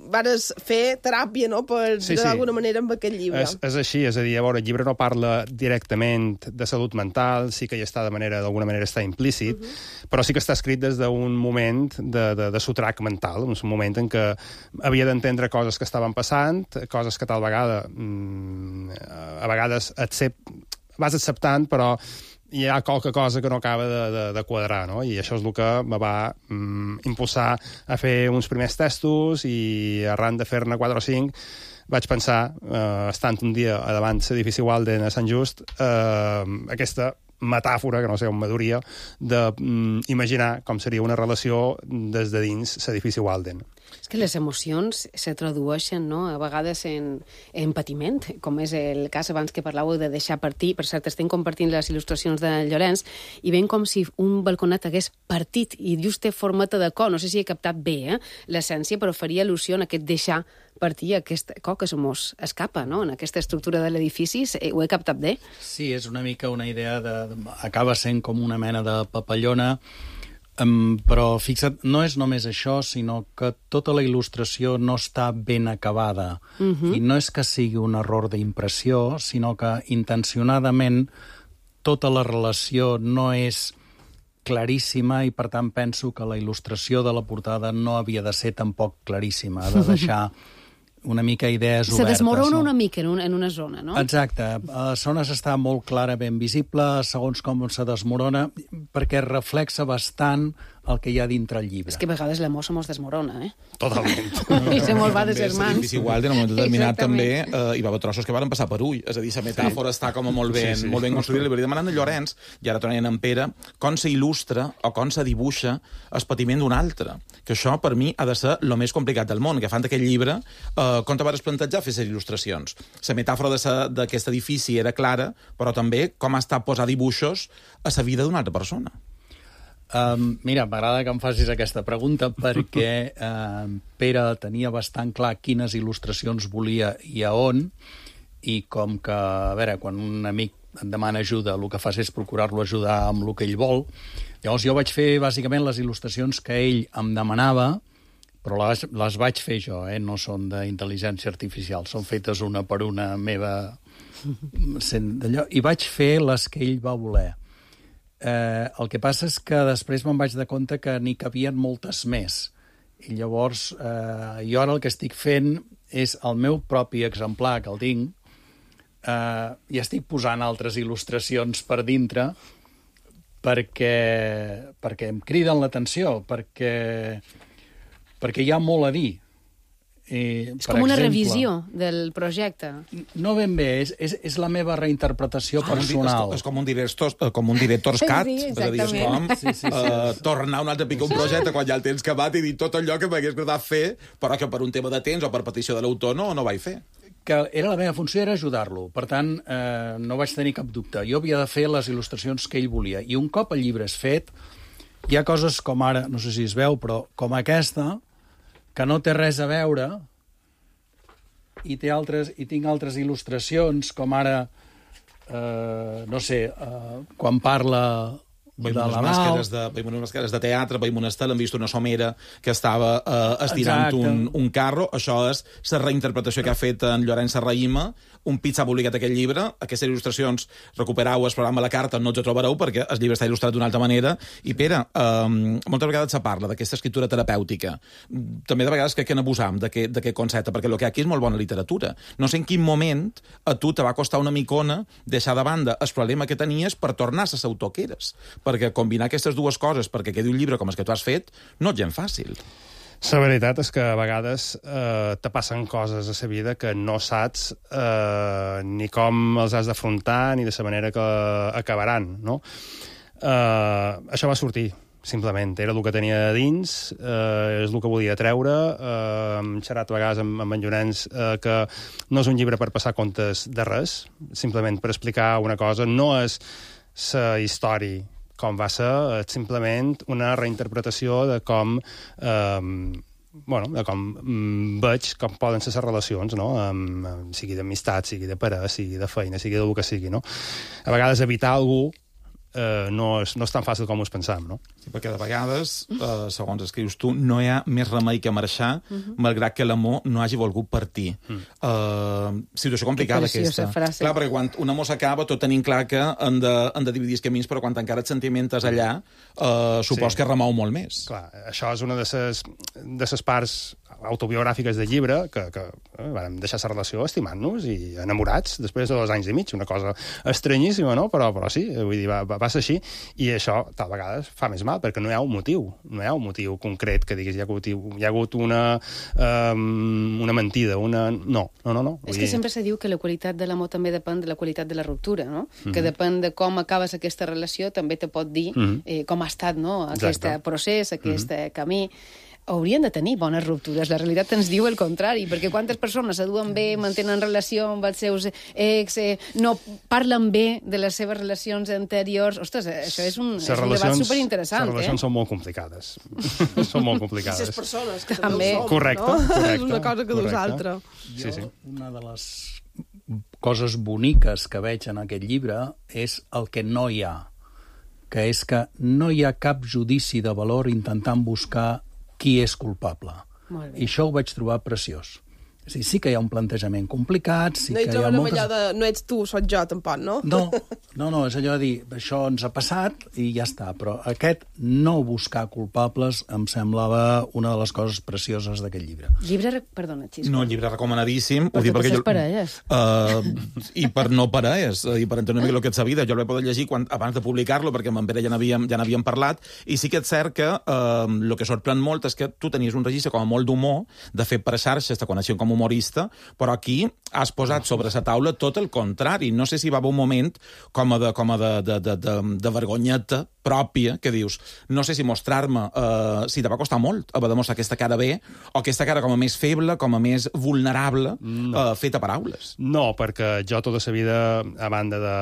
vares fer teràpia, no?, per sí, dir sí. d'alguna manera amb aquest llibre. És, és així, és a dir, a veure, el llibre no parla directament de salut mental, sí que hi està de manera, d'alguna manera està implícit, uh -huh. però sí que està escrit des d'un moment de, de, de sotrac mental, un moment en què havia d'entendre coses que estaven passant, coses que tal vegada mmm, a vegades accept, vas acceptant, però hi ha qualque cosa que no acaba de, de, de quadrar, no? I això és el que me va mm, impulsar a fer uns primers testos i arran de fer-ne quatre o cinc vaig pensar, eh, estant un dia davant l'edifici Walden a Sant Just, eh, aquesta metàfora, que no sé on m'adoria, d'imaginar com seria una relació des de dins l'edifici Walden. És que les emocions se tradueixen, no?, a vegades en, en patiment, com és el cas abans que parlàveu de deixar partir. Per cert, estem compartint les il·lustracions de Llorenç i veiem com si un balconet hagués partit i just té formata de co. No sé si he captat bé eh, l'essència, però faria al·lusió en aquest deixar partir, aquest co que se mos escapa, no?, en aquesta estructura de l'edifici. Ho he captat bé? Sí, és una mica una idea de... de acaba sent com una mena de papallona Um, però fixa't, no és només això, sinó que tota la il·lustració no està ben acabada. Uh-huh. I no és que sigui un error d'impressió, sinó que intencionadament tota la relació no és claríssima i, per tant, penso que la il·lustració de la portada no havia de ser tampoc claríssima, ha de deixar una mica idees Se obertes. Se desmorona no? una mica en, un, en una zona, no? Exacte. A zones està molt clarament visible, segons com se desmorona, perquè reflexa bastant el que hi ha dintre el llibre. És que a vegades l'amor se mos desmorona, eh? Totalment. I se mos va de ses mans. És igual, en un moment determinat també eh, hi va haver trossos que van passar per ull. És a dir, la metàfora sí. està com molt ben, sí, sí. molt ben construïda. Li vaig demanant a Llorenç, i ara tornant en Pere, com s'il·lustra o com se dibuixa el patiment d'un altre. Que això, per mi, ha de ser el més complicat del món. Que fan d'aquest llibre, eh, com te vas plantejar fer les il·lustracions? La metàfora d'aquest edifici era clara, però també com ha estat posar dibuixos a la vida d'una altra persona. Um, mira, m'agrada que em facis aquesta pregunta perquè uh, Pere tenia bastant clar quines il·lustracions volia i a on, i com que, a veure, quan un amic et demana ajuda, el que fas és procurar-lo ajudar amb el que ell vol. Llavors jo vaig fer bàsicament les il·lustracions que ell em demanava, però les, les vaig fer jo, eh? No són d'intel·ligència artificial, són fetes una per una meva, i vaig fer les que ell va voler. Eh, el que passa és que després me'n vaig de compte que n'hi cabien moltes més. I llavors, eh, jo ara el que estic fent és el meu propi exemplar, que el tinc, eh, i estic posant altres il·lustracions per dintre perquè, perquè em criden l'atenció, perquè, perquè hi ha molt a dir. I, és com una exemple, revisió del projecte. No ben bé, és, és, és la meva reinterpretació ah, personal. És, és com un director, com un director's cut. Sí, exactament. És com sí, sí, sí, uh, sí. tornar un altre pic un projecte quan ja el tens acabat i dir tot allò que m'hagués agradat fer, però que per un tema de temps o per petició de l'autor no, no vaig fer. Que era la meva funció era ajudar-lo. Per tant, eh, no vaig tenir cap dubte. Jo havia de fer les il·lustracions que ell volia. I un cop el llibre és fet, hi ha coses com ara, no sé si es veu, però com aquesta, que no té res a veure, i, té altres, i tinc altres il·lustracions, com ara, eh, no sé, eh, quan parla veiem unes, màscares de, veiem unes màscares de teatre, veiem una estel, hem vist una somera que estava eh, estirant un, un carro. Això és la reinterpretació que ha fet en Llorenç Serrahima. Un pit s'ha publicat aquest llibre. Aquestes il·lustracions recuperau el programa La Carta, no ens ho trobareu perquè el llibre està il·lustrat d'una altra manera. I Pere, eh, moltes vegades se parla d'aquesta escriptura terapèutica. També de vegades crec que n'abusam d'aquest concepte, perquè el que aquí és molt bona literatura. No sé en quin moment a tu te va costar una micona deixar de banda el problema que tenies per tornar a l'autor que eres. Perquè combinar aquestes dues coses perquè quedi un llibre com el que tu has fet no és gens fàcil. La veritat és que a vegades eh, te passen coses a la vida que no saps eh, ni com els has d'afrontar ni de la manera que acabaran, no? Eh, això va sortir, simplement. Era el que tenia dins, eh, és el que volia treure. Eh, hem xerrat a vegades amb, amb en Llorenç eh, que no és un llibre per passar comptes de res, simplement per explicar una cosa. No és la història com va ser, simplement una reinterpretació de com eh, bueno, de com mm, veig com poden ser les relacions, no? Um, sigui d'amistat, sigui de parella, sigui de feina, sigui del que sigui, no? A vegades evitar algú eh, no, és, no és tan fàcil com us pensam, no? Sí, perquè de vegades, eh, segons escrius tu, no hi ha més remei que marxar, uh -huh. malgrat que l'amor no hagi volgut partir. Uh -huh. uh, situació complicada aquesta. Frase. Clar, perquè quan un amor s'acaba, tot tenim clar que han de, han de dividir els camins, però quan encara et sentiment és allà, uh, supos sí. que remou molt més. Clar, això és una de les de les parts autobiogràfiques del llibre, que, que eh, vam deixar la relació estimant-nos i enamorats després de dos anys i mig, una cosa estranyíssima, no? Però, però sí, vull dir, va, va ser així, i això tal vegades fa més mal, perquè no hi ha un motiu, no hi ha un motiu concret que diguis hi ha hagut, hi ha hagut una, um, una mentida, una... No, no, no. no. És que dir... sempre se diu que la qualitat de l'amor també depèn de la qualitat de la ruptura, no? Mm-hmm. Que depèn de com acabes aquesta relació, també te pot dir mm-hmm. eh, com ha estat, no? Aquest Exacte. procés, aquest mm-hmm. camí. Haurien de tenir bones ruptures. La realitat ens diu el contrari, perquè quantes persones s'aduen bé, mantenen relació amb els seus ex, eh, no parlen bé de les seves relacions anteriors. Ostres, això és un, és un debat superinteressant. Les relacions eh? són molt complicades. són molt complicades. I les persones, que també, també ho som, correcte, no? correcte. És una cosa que dus altra. Sí, sí. Una de les coses boniques que veig en aquest llibre és el que no hi ha. que és que no hi ha cap judici de valor intentant buscar qui és culpable. I això ho vaig trobar preciós. És a dir, sí que hi ha un plantejament complicat, sí no que hi ha moltes... allò de no ets tu, soc jo, tampoc, no? No, no, no, és allò de dir, això ens ha passat i ja està, però aquest no buscar culpables em semblava una de les coses precioses d'aquest llibre. Llibre, perdona, Xisco. No, llibre recomanadíssim. Per totes les jo... parelles. Uh, I per no parelles, i per entendre una mica el que ets a vida. Jo el vaig poder llegir quan, abans de publicar-lo, perquè amb en Pere ja n'havíem ja n'havíem parlat, i sí que és cert que uh, el que sorprèn molt és que tu tenies un registre com a molt d'humor, de fet per a xarxes, te coneixien com humorista, però aquí has posat sobre la taula tot el contrari. No sé si va haver un moment com a de, com a de, de, de, de, de vergonyeta pròpia, que dius, no sé si mostrar-me, uh, si te va costar molt haver de mostrar aquesta cara bé, o aquesta cara com a més feble, com a més vulnerable, no. uh, feta paraules. No, perquè jo tota la vida, a banda de...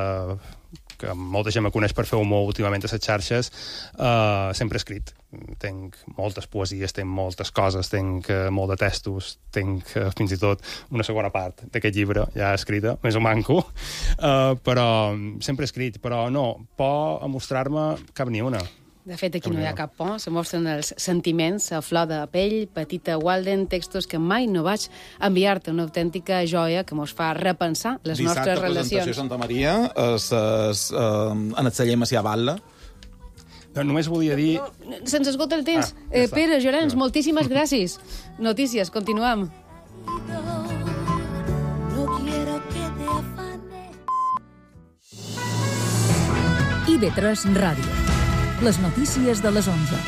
que molta gent me coneix per fer humor últimament a les xarxes, uh, sempre he escrit. Tenc moltes poesies, tenc moltes coses, tenc uh, molt de textos, tenc uh, fins i tot una segona part d'aquest llibre ja escrita, més o manco, uh, però sempre he escrit, però no, por a mostrar-me cap ni una. De fet, aquí no hi ha cap por, se mostren els sentiments a flor de pell, petita Walden, textos que mai no vaig enviar-te, una autèntica joia que mos fa repensar les Dissabte, nostres relacions. presentació Santa Maria, es, es, uh, en el celler Macià Batlle. No, només volia dir... No, se'ns esgota el temps. Ah, ja eh, Pere, Llorenç, ja. moltíssimes gràcies. Notícies, continuem. No quiero que te afane. I ve tres Ràdio. Les notícies de les onze.